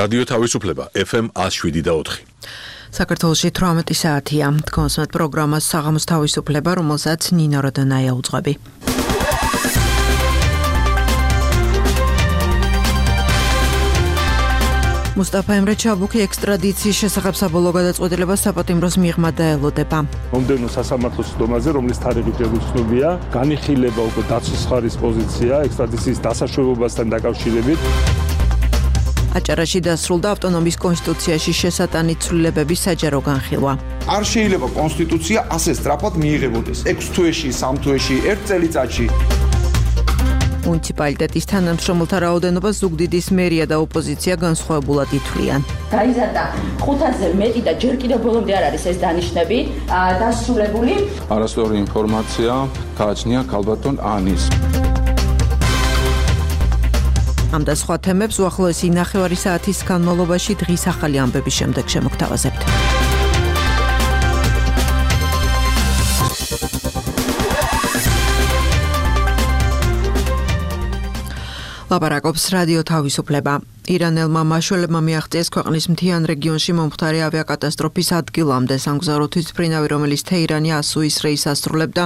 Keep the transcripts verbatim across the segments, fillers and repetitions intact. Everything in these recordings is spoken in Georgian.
რადიო თავისუფლება ეფ ემ one oh seven და four. საქართველოში თვრამეტი საათია. Თქვენსმეთ პროგრამას საღამოს თავისუფლება, რომელსაც ნინო როდონაია უძღვები. მუსტაფა ემრე ჩაბუქი ექსტრადიციის შესახებ საბოლოო გადაწყვეტილებას საპატიმროს მიღმა დაელოდება. მომდევნო სასამართლოს სხდომაზე, რომლის თარიღი შეგვიცნობია, განიხილება უკვე დაცვის მხარის პოზიცია ექსტრადიციის დასაშვებობასთან დაკავშირებით. აჭარაში დასრულდა ავტონომიის კონსტიტუციაში შესატანით ცვლილებების საჯარო განხილვა. არ შეიძლება კონსტიტუცია ასე სწრაფად მიიღებოდეს. ექვს თვეში, სამ თვეში, ერთ წელიწადში. მუნიციპალიტეტის თანამშრომელთა რაოდენობას ზუგდიდის მერია და ოპოზიცია განსხვავებულად ითვლიან. გაიზარდა ხუთასზე მეტი და ჯერ კიდევ ბოლომდე არ არის ეს დანიშნები დასრულებული. არასწორი ინფორმაცია გააჩნია ქალბატონ ანის. ამ და სხვა თემებს უახლოესი ნახევარი საათის განმავლობაში დღის ახალი ამბების შემდეგ შემოგთავაზებთ. ლაპარაკობს რადიო თავისუფლება. ირანელმა მაშველებმა მიაღწიეს ქვეყნის მთიან რეგიონში მომხდარი ავიაკატასტროფის ადგილამდე სამგზავრო თვითმფრინავი, რომელიც თეირანი ასუის რეისს ასრულებდა,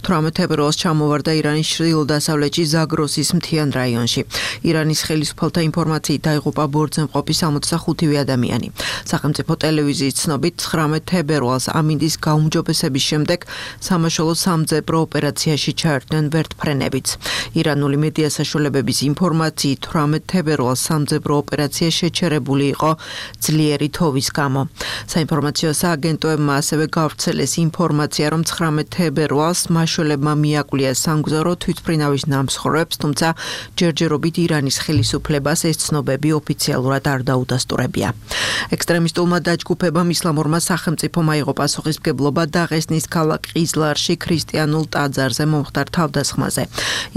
თვრამეტ თებერვალს ჩამოვარდა ირანის ჩრდილო-დასავლეთში ზაგროსის მთიან რაიონში. ირანის ხელისუფალთა ინფორმაციით დაიღუპა ბორძენყოფი სამოცდახუთი ადამიანი. სახელმწიფო ტელევიზიის ცნობით ცხრამეტ თებერვალს ამინდის გაუმჯობესების შემდეგ სამაშველო სამძებრო ოპერაციაში ჩაერთნენ ვერტმფრენებიც. ირანული მედია საშუალებების ინფორმაციით თვრამეტ თებერვალს სამძებრო ოპერაცია შეჩერებული იყო ძლიერი თოვის გამო. საინფორმაციო სააგენტოებმა ასევე გავრცელეს ინფორმაცია, რომ ცხრამეტ თებერვალს მაშველებმა მიაკვლია სამგზავრო თვითმფრინავის ნამსხვრევებს, თუმცა ჯერჯერობით ირანის ხელისუფლებას ეს ცნობები ოფიციალურად არ დაუდასტურებია. ექსტრემისტულმა დაჯგუფებამ ისლამურმა სახელმწიფომ აიღო პასუხისმგებლობა დაღესტნის ქალაქ ყიზლარში ქრისტიანულ ტაძარზე მომხდარ თავდასხმაზე.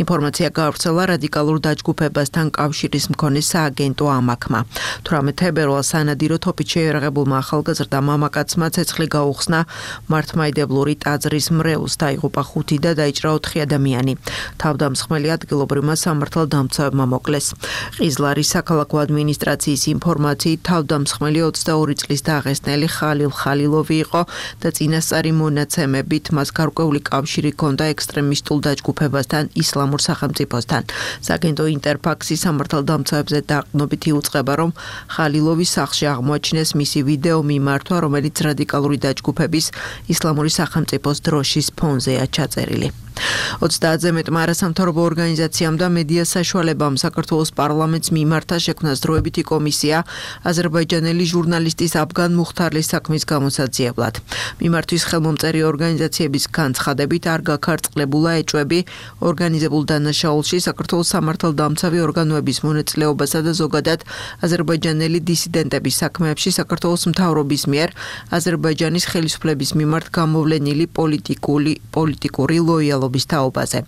ინფორმაცია გავრცელა რადიკალურ დაჯგუფებასთან კავშირის მქონე სააგენტო ამაკმა. თვრამეტ თებერვალს სანადიროდ თოფით შეიარაღებულმა ახალგაზრდა მამაკაცმა ცეცხლი გაუხსნა მართლმადიდებლური ტაძრის მრევლს, დაიღუპა ხუთი და დაიჭრა ოთხი ადამიანი. თავდამსხმელი ადგილობრივმა სამართალდამცავებმა მოკლეს. ყიზლარის საქალაქო ადმინისტრაციის ინფორმაციით თავდამსხმელი ოცდაორი წლის დაღესტნელი ხალილ ხალილოვი იყო და წინასწარი მონაცემებით მას გარკვეული კავშირი ჰქონდა ექსტრემისტულ დაჯგუფებასთან, ისლამურ სახელმწიფოსთან. სააგენტო ინტერფაქსის სამართალდამცავებზე დაყრდნობით იუწყება, რომ ხალილოვის სახლში აღმოაჩინეს მისი ვიდეო მიმართვა, რომელიც რადიკალური დაჯგუფების ისლამური სახელმწიფოს დროშის ფონზეა ჩაწერილი. ოცდაათზე მეტმა არასამთავრობო ორგანიზაციამ და მედია საშუალებამ საქართველოს პარლამენტს მიმართა შექმნა დროებითი კომისია აზერბაიჯანელი ჟურნალისტის აბგან მუხთარლის საქმის გამოსაძიებლად. მიმართვის ხელმომწერი ორგანიზაციების განცხადებით არ გაქარწყლებულა ეჭვები ორგანიზებულ დანაშაულში საქართველოს სამართალდამცავი ორგანოების მონაწილეობასა და ზოგადად აზერბაიჯანელი დისიდენტების საქმეებში საქართველოს მთავრობის მიერ აზერბაიჯანის ხელისუფლების მიმართ გამოვლენილი პოლიტიკური პოლიტიკური ლოიალობის თაობაზე.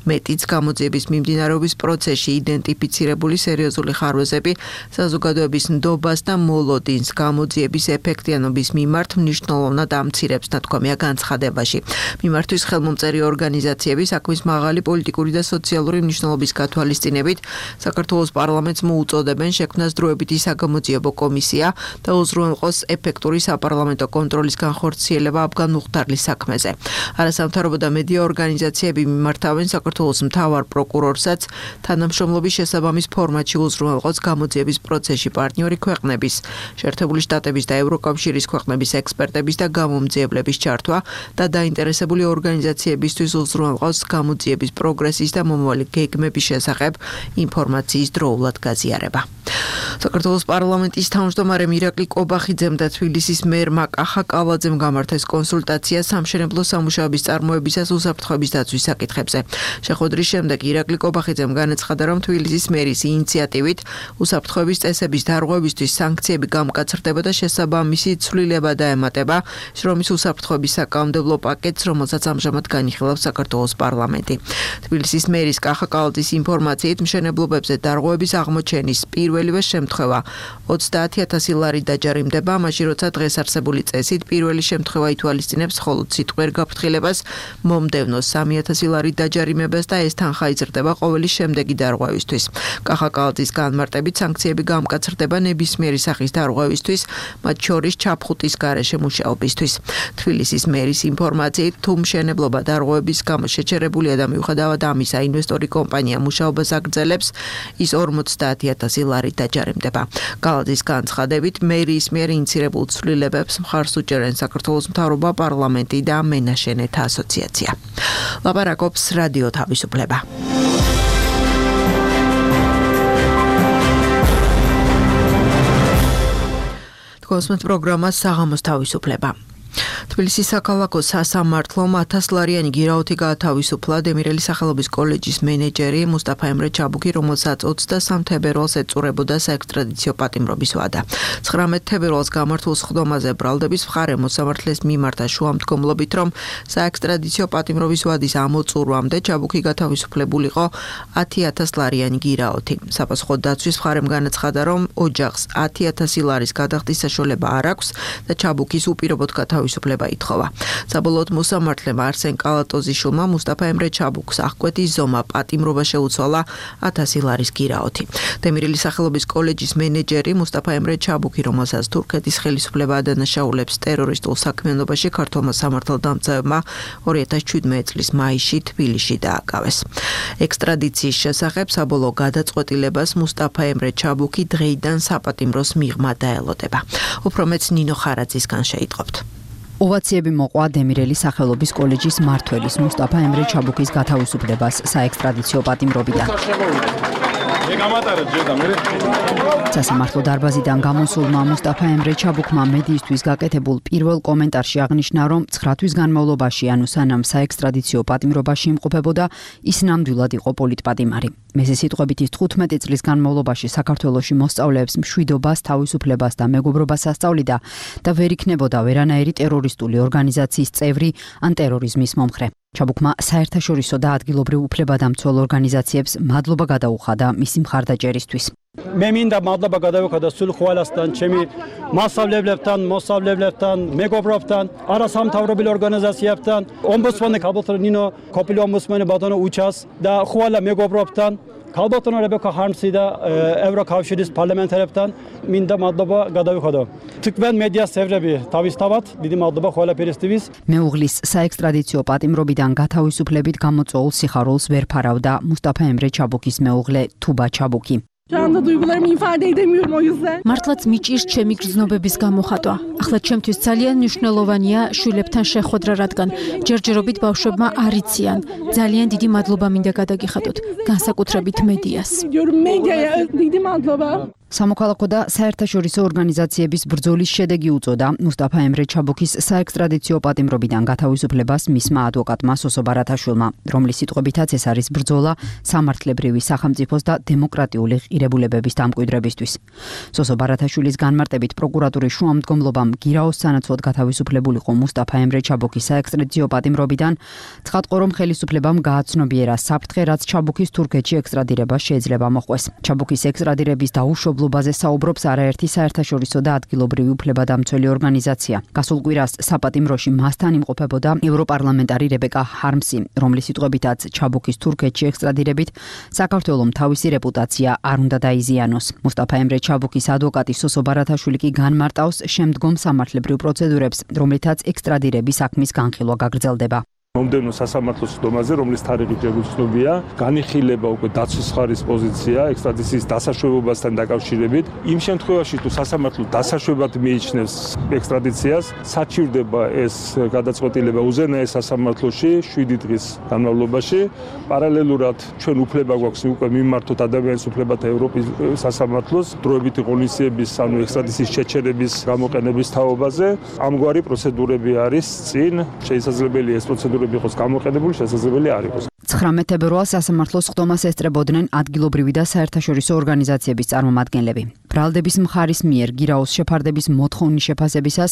მეტიც გამოძიების მიმდინარეობის პროცესში იდენტიფიცირებული სერიოზული ხარვეზები საზოგადოების ნდობას და მოლოდინს გამოძიების ეფექტიანობის მიმართ მნიშვნელოვნად ამცირებს, ნათქვამია განცხადებაში. მიმართვის ხელმომწერი ორგანიზაციები საქმის მაღალი პოლიტიკური და სოციალური მნიშვნელობის გათვალისწინებით საქართველოს პარლამენტს მოუწოდებენ შექმნას დროებითი საგამოძიებო კომისია და უზრუნველყოს ეფექტური საპარლამენტო კონტროლის განხორციელება აბგან მუხთარლის საქმეზე. არასამთავრობო და მედია ორგანიზაციები მიმართავენ საქართველოს მთავარ პროკურორსაც თანამშრომლობის შესაბამის ფორმატში უზრუნველყოს გამოძიების პროცესში პარტნიორი ქვეყნების, შეერთებული შტატების და ევროკავშირის ქვეყნების ექსპერტების და გამომძიებლების ჩართვა და დაინტერესებული ორგანიზაციებისთვის უზრუნველყოს გამოძიების პროგრესის და მომავალი გეგმების შესახებ ინფორმაციის დროულად გაზიარება. საქართველოს პარლამენტის თავმჯდომარემ ირაკლი კობახიძემ და თბილისის მერმა კახა კალაძემ გამართეს კონსულტაცია სამშენებლო სამუშაოების წარმოებისას უსაფრთხოების დაცვის საკითხებზე. შეხვედრის შემდეგ ირაკლი კობახიძემ განაცხადა, რომ თბილისის მერის ინიციატივით უსაფრთხოების წესების დარღვევისთვის სანქციები გამკაცრდება და შესაბამისი ცვლილება დაემატება შრომის უსაფრთხოების საკანონმდებლო პაკეტს, რომელსაც ამჟამად განიხილავს საქართველოს პარლამენტი. თბილისის მერის კახა კალაძის ინფორმაციით მშენებლობებზე დარღვევების აღმოჩენის პირველი პირველივე შემთხვევა ოცდაათი ათასი ლარი დაჯარიმდება, მაშინ როცა დღეს არსებული წესით პირველი შემთხვევა ითვალისწინებს მხოლოდ სიტყვიერ გაფრთხილებას, მომდევნო სამი ათასი ლარი დაჯარიმებას და ეს თანხა იზრდება ყოველი შემდეგი დარღვევისთვის. კახაკალაძის განმარტებით სანქციები გამკაცრდება ნებისმიერი სახის დარღვევისთვის, მათ შორის ჩაფხუტის გარეშე მუშაობისთვის. თბილისის მერის ინფორმაციით, თუ მშენებლობა დარღვევების გამო შეჩერებულია და მიუხედავად ამისა ინვესტორი კომპანია მუშაობას აგრძელებს, ის ორმოცდაათი ათასი ლარი დაჯარიმდება. კალაძის განცხადებით, მერიის მიერ ინიცირებულ ცვლილებებს მხარს უჭერენ საქართველოს მთავრობა, პარლამენტი და მენაშენეთა ასოციაცია. ლაპარაკობს რადიო თავისუფლება. კოსმოს პროგრამა საღამოს თავისუფლება. თბილისის საქალაქო სასამართლომ ათას ლარიანი გირაოთი გაათავისუფლა დემირელის სახელობის კოლეჯის მენეჯერი მუსტაფა ემრე ჩაბუკი, რომელსაც ოცდასამ თებერვალს ეწურებოდა საექსტრადიციო პატიმრობის ვადა. ცხრამეტ თებერვალს გამართულ სხდომაზე ბრალდების მხარე მოსამართლეს მიმართა შუამდგომლობით, რომ საექსტრადიციო პატიმრობის ვადის ამოწურვამდე ჩაბუკი გათავისუფლებულიყო ათი ათას ლარიანი გირაოთი. საპასუხო დაცვის მხარემ განაცხადა, რომ ოჯახს ათი ათასი ლარის გადახდის საშუალება არ აქვს და ჩაბუკის უპირობოდ თავისუფლება ითხოვა. საბოლოოდ მოსამართლემ არსენ კალატოზიშვილმა მუსტაფა ემრე ჩაბუკს აღკვეთის ზომა პატიმრობა შეუცვალა ათასი ლარის გირაოთი. დემირელის სახელობის კოლეჯის მენეჯერი მუსტაფა ემრე ჩაბუკი, რომელსაც თურქეთის ხელისუფლება ადანაშაულებს ტერორისტულ საქმიანობაში, ქართულმა სამართალდამცავებმა ორი ათას შვიდმეტი წლის მაისში თბილისში დააკავეს. ექსტრადიციის შესახებ საბოლოო გადაწყვეტილებას მუსტაფა ემრე ჩაბუკი დღეიდან საპატიმროს მიღმა დაელოდება. უფრო მეც ნინო ხარაძისგან შეიტყობთ. ოვაციები მოყვა დემირელის სახელობის კოლეჯის მმართველის მუსტაფა ემრე ჩაბუკის გათავისუფლებას საექსტრადიციო პატიმრობიდან. სასამართლო დარბაზიდან გამოსულმა მუსტაფა ემრე ჩაბუკმა მედიისთვის გაკეთებულ პირველ კომენტარში აღნიშნა, რომ ცხრა თვის განმავლობაში, ანუ სანამ საექსტრადიციო პატიმრობაში იმყოფებოდა, ის ნამდვილად იყო პოლიტპატიმარი. მესის სიტყვებით, ის თხუთმეტი წლის განმავლობაში საქართველოში მოსწავლეებს მშვიდობას, თავისუფლებას და მეგობრობას ასწავლიდა და ვერ იქნებოდა ვერანაირი ტერორისტული ორგანიზაციის წევრი ან ტერორიზმის მომხრე. ჩაბუკმა საერთაშორისო და ადგილობრივ უფლებადამცველ ორგანიზაციებს მადლობა გადაუხადა მისი მხარდაჭერისთვის. მე მინდა მადლობა გადავუხადა სულ ყველასთან, ჩემი მასწავლებლებთან, მოსწავლებლებთან, მეგობრებთან, არასამთავრობო ორგანიზაციებთან, ომბუდსმენი ქალბატონო ნინო, ყოფილი ომბუდსმენი ბატონო უჩას და ყველა მეგობრებთან, ქალბატონო რებეკა ჰარმსი და ევროკავშირის პარლამენტარებთან მინდა მადლობა გადავუხადა. თქვენ მედია წევრები თავისთავად დიდი მადლობა ყველაფერისთვის. მეუღლის საექსტრადიციო პატიმრობიდან გათავისუფლებით გამოწვეულ სიხარულს ვერ ფარავდა მუსტაფა ემრე ჩაბუკის მეუღლე თუბა ჩაბუკი. მართლაც მიჭირს ჩემი გრძნობების გამოხატვა. ახლა ჩემთვის ძალიან მნიშვნელოვანია შვილებთან შეხვედრა, რადგან ჯერჯერობით ბავშვებმა არ იციან. ძალიან დიდი მადლობა მინდა გადაგიხადოთ, განსაკუთრებით მედიას. სამოქალაქო და საერთაშორისო ორგანიზაციების ბრძოლის შედეგი უწოდა მუსტაფა ემრე ჩაბუკის საექსტრადიციო პატიმრობიდან გათავისუფლებას მისმა ადვოკატმა სოსო ბარათაშვილმა, რომლის სიტყვებითაც ეს არის ბრძოლა სამართლებრივი სახელმწიფოს და დემოკრატიული ღირებულებების დამკვიდრებისთვის. სოსო ბარათაშვილის განმარტებით, პროკურატურის შუამდგომლობამ გირაოს სანაცვლოდ გათავისუფლებულიყო მუსტაფა ემრე ჩაბუკის საექსტრადიციო პატიმრობიდან, ცხადყო, რომ ხელისუფლებამ გააცნობიერა საფრთხე, რაც ჩაბუკის თურქეთში ექსტრადირება შეიძლება მოხდეს. ჩაბუკის ექსტრადირების დაუშვებლად ობაზე საუბრობს არაერთი საერთაშორისო და ადგილობრივი უფლებადამცველი ორგანიზაცია. გასულ კვირას საპატიმროში მასთან იმყოფებოდა ევროპარლამენტარი რებეკა ჰარმსი, რომლის სიტყვებითაც ჩაბუკის თურქეთში ექსტრადირებით საქართველოს თავისი რეპუტაცია არ უნდა დაიზიანოს. მუსტაფა ემრე ჩაბუკის ადვოკატი სოსო ბარათაშვილი კი განმარტავს შემდგომ სამართლებრივ პროცედურებს, რომლითაც ექსტრადირების საქმის განხილვა გაგრძელდება. მომდევნო სასამართლოს სხდომაზე, რომლის თარიღი ჯერ უცნობია, განიხილება უკვე დაცვის მხარის პოზიცია ექსტრადიციის დასაშვებობასთან დაკავშირებით. იმ შემთხვევაში, თუ სასამართლო დასაშვებად მიიჩნევს ექსტრადიციას, საჩივრდება ეს გადაწყვეტილება უზენაეს სასამართლოში შვიდი დღის განმავლობაში. პარალელურად ჩვენ უფლება გვაქვს უკვე მიმართოთ ადამიანის უფლებათა ევროპის სასამართლოს დროებითი ღონისძიების, ანუ ექსტრადიციის შეჩერების გამოყენების თაობაზე. ამგვარი პროცედურები არის წინ, შესაძლებელია ეს პროცედურა იყოს გამოყენებული, შესაძლებელი არ იყოს. ცხრამეტ თებერვალს სასამართლოს ხდომას ესწრებოდნენ ადგილობრივი და საერთაშორისო ორგანიზაციების წარმომადგენლები. ბრალდების მხარის მიერ გირაოს შეფარდების მოთხოვნის შეფასებისას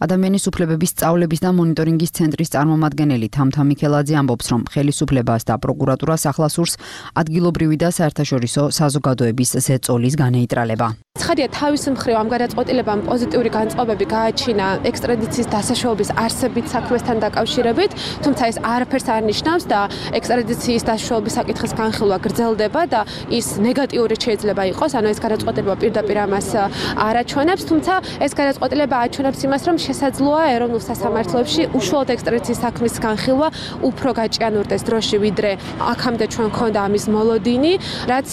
ადამიანის უფლებების სწავლების და მონიტორინგის ცენტრის წარმომადგენელი თამთა მიქელაძე ამბობს, რომ ხელისუფლებას და პროკურატურას ახლასურს ადგილობრივი და საერთაშორისო საზოგადოების ზეწოლის განეიტრალება. ცხადია, თავის მხრივ ამ გადაწყვეტილებამ პოზიტიური განწყობები გააჩინა ექსტრადიციის დასაშოების არსებით საქმესთან დაკავშირებით, თუმცა ეს არაფერს არ ნიშნავს და ექსტრადიციის დასაშოების საკითხის განხილვა გრძელდება და ის ნეგატიური შეიძლება იყოს, ანუ ეს გადაწყვეტილება პირდაპირ ამას არ აჩვენებს, თუმცა ეს გადაწყვეტილება აჩვენებს იმას, რომ შესაძლოა ეროვნულ სასამართლოებში უშუალოდ ექსტრადიციის საქმის განხილვა უფრო გაჭიანურდეს დროში, ვიდრე აქამდე ჩვენ გქონდა ამის მოლოდინი, რაც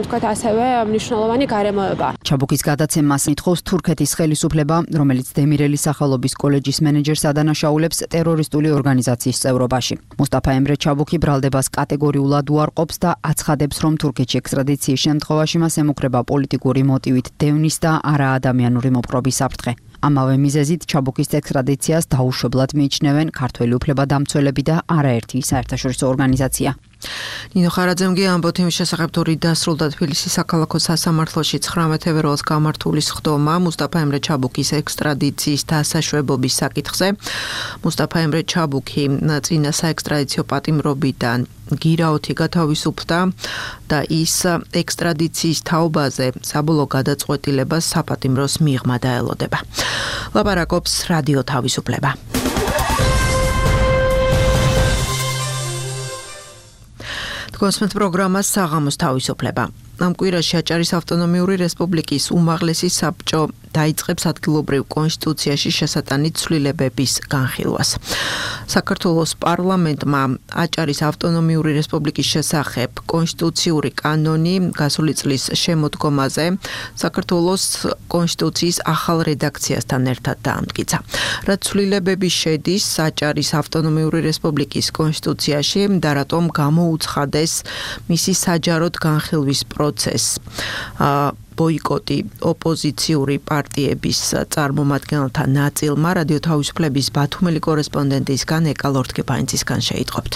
თქვათ ასევე მნიშვნელოვანი გარემოება. ჩაბუქის გადაცემას ითხოვს თურქეთის ხელისუფლება, რომელიც დემირელის სახელობის კოლეჯის მენეჯერს ადანაშაულებს ტერორისტული ორგანიზაციის წევრობაში. მუსტაფა ემრე ჩაბუქი ბრალდებას კატეგორიულად უარყოფს და აცხადებს, რომ თურქეთში ექსტრადიციის შემთხვევაში მას ემუქრება პოლიტიკური მოტივით დევნის და არაადამიანური მოპყრობის საფრთხე. ამავე მიზეზით ჩაბუქის ექსტრადიციას დაუშვებლად მიიჩნევენ ქართველი უფლებადამცველები და არაერთი საერთაშორისო ორგანიზაცია. ნინო ხარაძემ ამბობთ იმის შესახებ, თუ რით დასრულდა თბილისის საქალაქო სასამართლოში ცხრამეტ თებერვალს გამართული ხდომა მუსტაფა ემრე ჩაბუქის ექსტრადიციის დასაშვებობის საკითხზე. მუსტაფა ემრე ჩაბუქი წინა საექსტრადიციო პატიმრობიდან გირაოთი გათავისუფლდა და ის ექსტრადიციის თაობაზე საბოლოო გადაწყვეტილებას საპატიმროს მიღმა დაელოდება. ლაპარაკობს რადიო თავისუფლება. კონსმეთ პროგრამას საღამოს თავისუფლება. ამ კვირაში აჭარის ავტონომიური რესპუბლიკის უმაღლესი საბჭო დაიწყებს ადგილობრივ კონსტიტუციაში შესატანით ცვლილებების განხილვას. საქართველოს პარლამენტმა აჭარის ავტონომიური რესპუბლიკის შესახებ კონსტიტუციური კანონი გასული წლის შემოდგომაზე საქართველოს კონსტიტუციის ახალ რედაქციასთან ერთად დაამტკიცა. რაც ცვლილებები შედის აჭარის ავტონომიური რესპუბლიკის კონსტიტუციაში და რატომ გამოუცხადეს მისი საჯაროდ განხილვის პროცესს. ბოიკოტი ოპოზიციური პარტიების წარმომადგენელთა ნაწილმა რადიო თავისუფლების ბათუმელი კორესპონდენტისგან ეკა ლორთქეფაინცისგან შეიტყობთ.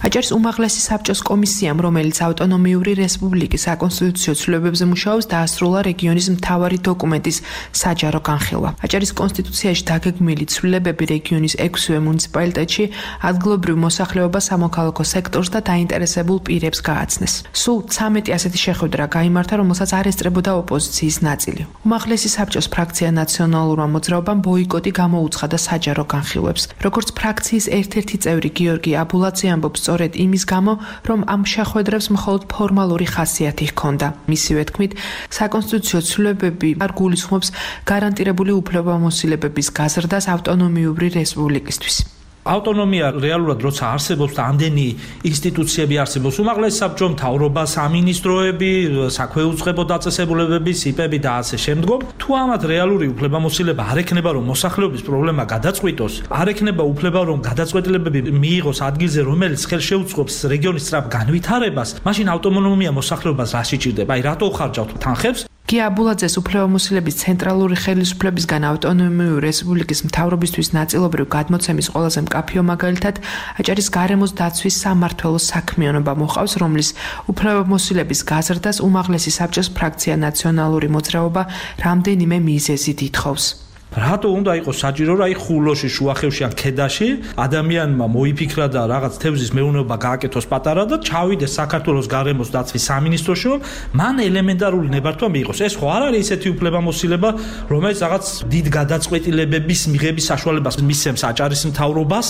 აჭარის უმაღლესი საბჭოს კომისიამ, რომელიც ავტონომიური რესპუბლიკის საკონსტიტუციო ცვლილებებზე მუშაობს, დაასრულა რეგიონის მთავარი დოკუმენტის საჯარო განხილვა. აჭარის კონსტიტუციაში დაგეგმილი ცვლილებები რეგიონის ექვსივე მუნიციპალიტეტში ადგილობრივ მოსახლეობას, სამოქალაქო სექტორს და დაინტერესებულ პირებს გააცნეს. სულ ცამეტი ასეთი შეხვედრა გაიმართა, რომელსაც არ ესწრებოდა ოპოზიციის ნაწილი. უმაღლესი საბჭოს ფრაქცია ნაციონალურმა მოძრაობამ ბოიკოტი გამოუცხადა საჯარო განხილვებს. როგორც ფრაქციის ერთ-ერთი წევრი გიორგი აბულაძე ამბობს, სწორედ იმის გამო, რომ ამ შეხვედრებს მხოლოდ ფორმალური ხასიათი ჰქონდა. მისივე თქმით, საკონსტიტუციო ცვლილებები არ გულისხმობს გარანტირებული უფლებამოსილებების გაზრდას ავტონომიური რესპუბლიკისთვის. ავტონომია რეალურად როცა არსებობს და ამდენი ინსტიტუციები არსებობს, უმაღლესი საბჭო, მთავრობა, სამინისტროები, საქვეუწყებო დაწესებულებები, სიპები და ასე შემდგომ, თუ ამათ რეალური უფლებამოსილება არ ექნება, რომ მოსახლეობის პრობლემა გადაწყვიტოს, არ ექნება უფლება, რომ გადაწყვეტილებები მიიღოს ადგილზე, რომელიც ხელშეუწყობს რეგიონის სწრაფ განვითარებას, მაშინ ავტონომია მოსახლეობას რა შეჭირდება? აი, რატო ხარჯავთ თანხებს? კი აბულაძეს უფლებამოსილების ცენტრალური ხელისუფლებისგან ავტონომიური რესპუბლიკის მთავრობისთვის ნაწილობრივ გადმოცემის ყველაზე მკაფიო მაგალითად აჭარის გარემოს დაცვის სამმართველოს საქმიანობა მოყავს, რომლის უფლებამოსილების გაზრდას უმაღლესი საბჭოს ფრაქცია ნაციონალური მოძრაობა რამდენიმე მიზეზით ითხოვს. რატო უნდა იყოს საჭირო, რომ აი ხულოში, შუახევში ან ქედაში ადამიანმა მოიფიქრა და რაღაც თევზის მეურნეობა გააკეთოს პატარა და ჩავიდეს საქართველოს გარემოს დაცვის სამინისტროში, რომ მან ელემენტარული ნებართვა მიიღოს. ეს ხო არ არის ისეთი უფლებამოსილება, რომელიც რაღაც დიდ გადაწყვეტილებების მიღების საშუალებას მისცემს აჭარის მთავრობას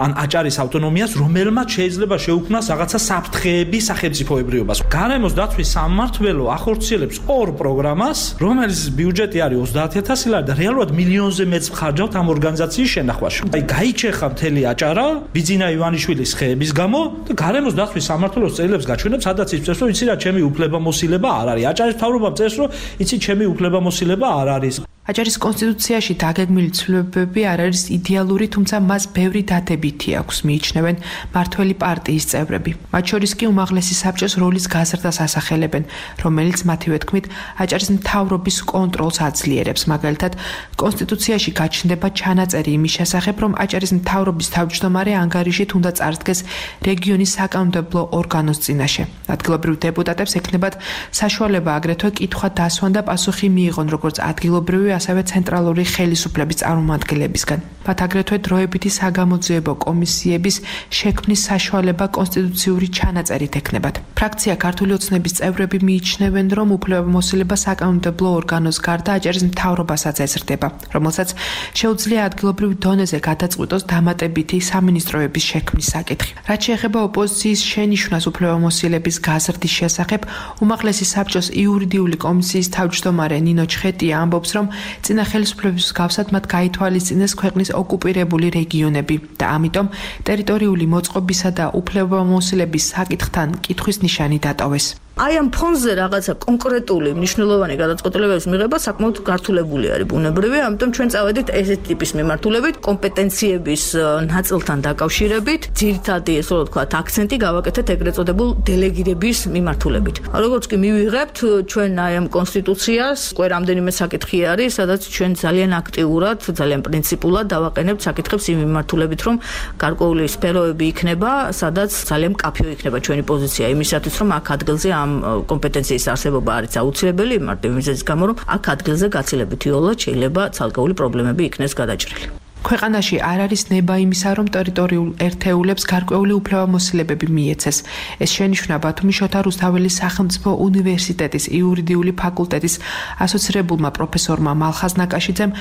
ან აჭარის ავტონომიას, რომელმაც შეიძლება შეუქმნას რაღაცა საფრთხეები სახელმწიფოებრიობას. გარემოს დაცვის სამმართველო ახორციელებს ორ პროგრამას, რომელიც ბიუჯეტი არის ოცდაათი ათასი ლარი და რეალურად მილიონზე მეც ხარჯავთ ამ ორგანიზაციის შენახვაში. აი გაიჩეხა მთელი აჭარა ბიძინა ივანიშვილის ხეების გამო და გარემოს დაცვის სამმართველოს წერილებს გაჩვენებს, სადაც იწევს, რომ იცი რა, ჩემი უფლებამოსილება არ არის. აჭარის მთავრობამ წერს, რომ იცი, ჩემი უფლებამოსილება არ არის. აჭარის კონსტიტუციაში დაგეგმილი ცვლილებები არ არის იდეალური, თუმცა მას ბევრი დადებითი აქვს, მიიჩნევენ მართველი პარტიის წევრები. მათ შორის კი უმაღლესი საბჭოს როლის გაზრდას ასახელებენ, რომელიც მათივე თქმით აჭარის მთავრობის კონტროლს აძლიერებს. მაგალითად, კონსტიტუციაში გაჩნდება ჩანაწერი იმის შესახებ, რომ აჭარის მთავრობის თავმჯდომარე ანგარიშით უნდა წარდგეს რეგიონის საკანონმდებლო ორგანოს წინაშე. ადგილობრივ დეპუტატებს ექნებათ საშუალება აგრეთვე კითხვა დასვან და პასუხი მიიღონ როგორც ადგილობრივი ასევე ცენტრალური ხელისუფლების წარმომადგენლებისგან. მათ აგრეთვე დროებითი საგამოძიებო კომისიების შექმნის საშუალება კონსტიტუციური ჩანაწერით ექნებათ. ფრაქცია ქართული ოცნების წევრები მიიჩნევენ, რომ უფლებამოსილება საკანონმდებლო ორგანოს გარდა აჭარის მთავრობასაც ეზრდება, რომელსაც შეუძლია ადგილობრივ დონეზე გადაწყვიტოს დამატებითი სამინისტროების შექმნის საკითხი. რაც შეეხება ოპოზიციის შენიშვნას უფლებამოსილების გაზრდის შესახებ, უმაღლესი საბჭოს იურიდიული კომისიის თავმჯდომარე ნინო ჩხეტია ამბობს, რომ წინა ხელისუფლების მსგავსად მათ გაითვალისწინეს ქვეყნის ოკუპირებული რეგიონები და ამიტომ ტერიტორიული მოწყობისა და უფლებამოსილების საკითხთან კითხვის ნიშანი დატოვეს. აი ამ ფონზე რაღაცა კონკრეტული მნიშვნელოვანი გადაწყვეტილებების მიღება საკმაოდ გართულებული არის ბუნებრივი, ამიტომ ჩვენ წავედით ესეთ ტიპის მიმართულებით, კომპეტენციების ნაწილთან დაკავშირებით, ძირითადი ესე რომ ვთქვათ, აქცენტი გავაკეთეთ ეგრეთ წოდებულ დელეგირების მიმართულებით. როგორც კი მივიღებთ ჩვენ აი ამ კონსტიტუციას, უკვე რამდენიმე საკითხი არის, სადაც ჩვენ ძალიან აქტიურად, ძალიან პრინციპულად დავაყენებთ საკითხებს იმ მიმართულებით, რომ გარკვეული სფეროები იქნება, სადაც ძალიან მკაფიო იქნება ჩვენი პოზიცია იმისათვის, რომ აქ ადგილზე ამ კომპეტენციის არსებობა არის აუცილებელი, მარტივ მიზეზის გამო, რომ აქ ადგილზე გაცილებით იოლად შეიძლება ცალკეული პრობლემები იქნეს გადაჭრილი. ქვეყანაში არ არის ნება იმისა, რომ ტერიტორიულ ერთეულებს გარკვეული უფლებამოსილებები მიეცეს. ეს შენიშვნა ბათუმის შოთა რუსთაველის სახელმწიფო უნივერსიტეტის იურიდიული ფაკულტეტის ასოცირებულმა პროფესორმა მალხაზ ნაკაშიძემ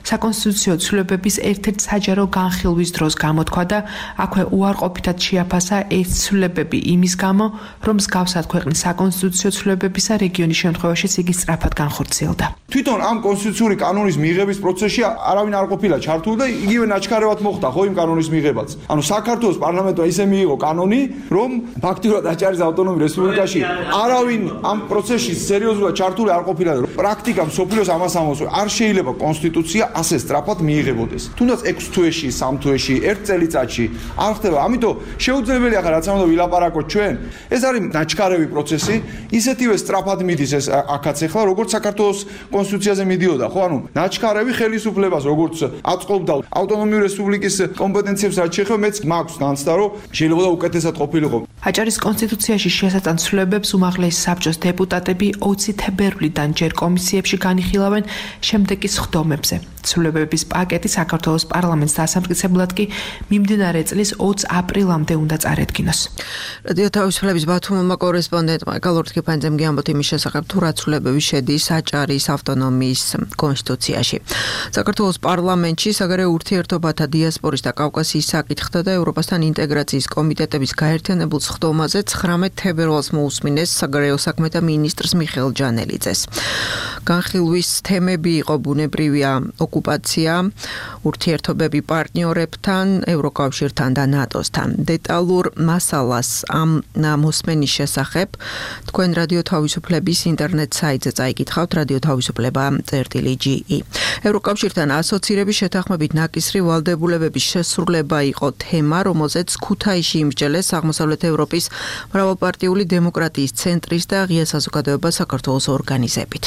საკონსტიტუციო ცვლილებების ერთ-ერთ საჯარო განხილვის დროს გამოთქვა და აქვე უარყოფითად შეაფასა ეს ცვლილებები იმის გამო, რომ მსგავსად ქვეყნის საკონსტიტუციო ცვლილებებისა რეგიონის შემთხვევაშიც იგი სწრაფად განხორციელდა. თვითონ ამ კონსტიტუციური კანონის მიღების პროცესში არავინ არ ყოფილა ჩართული და იგივე ნაჩქარევად მოხდა ხო იმ კანონის მიღებაც. ანუ საქართველოს პარლამენტმა ისე მიიღო კანონი, რომ ფაქტიურად აჭარის ავტონომიურ რესპუბლიკაში არავინ ამ პროცესში სერიოზულად ჩართული არ ყოფილა. პრაქტიკა მსოფლიოს ამას ამბობს, არ შეიძლება კონსტიტუცია ასე სწრაფად მიიღებოდეს. თუნდაც ექვს თვეში, სამ თვეში, ერთ წელიწადში არ ხდება. ამიტომ შეუძლებელია ხა რაც ამბობ ვილაპარაკოთ ჩვენ. ეს არის ნაჩქარევი პროცესი, ისეთივე სწრაფად მიდის ეს აქაც ახლა, როგორც საქართველოს კონსტიტუციაზე მიდიოდა, ხო? ანუ ნაჩქარევი ხელისუფლებას როგორც აწყობდა ავტონომიური რესპუბლიკის კომპეტენციებს რაც შეეხება, მეც მაქვს განცდა, რომ შეიძლება უკეთესად ყოფილიყო. აჭარის კონსტიტუციაში შესატან ცვლილებებს უმაღლესი საბჭოს დეპუტატები ოცი თებერვლიდან ჯერ კომისიებში განიხილავენ შემდეგი სხდომებზე. ცვლილებების პაკეტი საქართველოს პარლამენტს დასამტკიცებლად კი მიმდინარე წლის ოცი აპრილამდე უნდა წარედგინოს. რადიო თავისუფლების ბათუმმა კორესპონდენტმა გალორდ კიფანძემ გიამბოთ იმის შესახებ, თუ რა ცვლილებები შედის აჭარის ავტონომიის კონსტიტუციაში. საქართველოს პარლამენტში საგარეო ურთიერთობათა დიასპორის და კავკასიის საკითხთა და ევროპასთან ინტეგრაციის კომიტეტების გაერთიანებულ სხდომაზე ცხრამეტ თებერვალს მოусმინეს საგარეო საქმეთა მინისტრს მიხეილ ჯანელიძეს. განხილვის თემები იყო ბუნებრივია ოკუპაცია, ურთიერთობები პარტნიორებთან, ევროკავშირთან და ნატოსთან. დეტალურ მასალას ამ მოსმენის შესახებ თქვენ რადიო თავისუფლების ინტერნეტ საიტზე წაიკითხავთ რადიო თავისუფლება წერტილი ჯი ი. ევროკავშირთან ასოცირების შეთანხმებით ნაკისრი ვალდებულებების შესრულება იყო თემა, რომელზეც ქუთაისში იმსჯელეს აღმოსავლეთ ევროპის მრავალპარტიული დემოკრატიის ცენტრის და ღია საზოგადოება საქართველოს ორგანიზებით.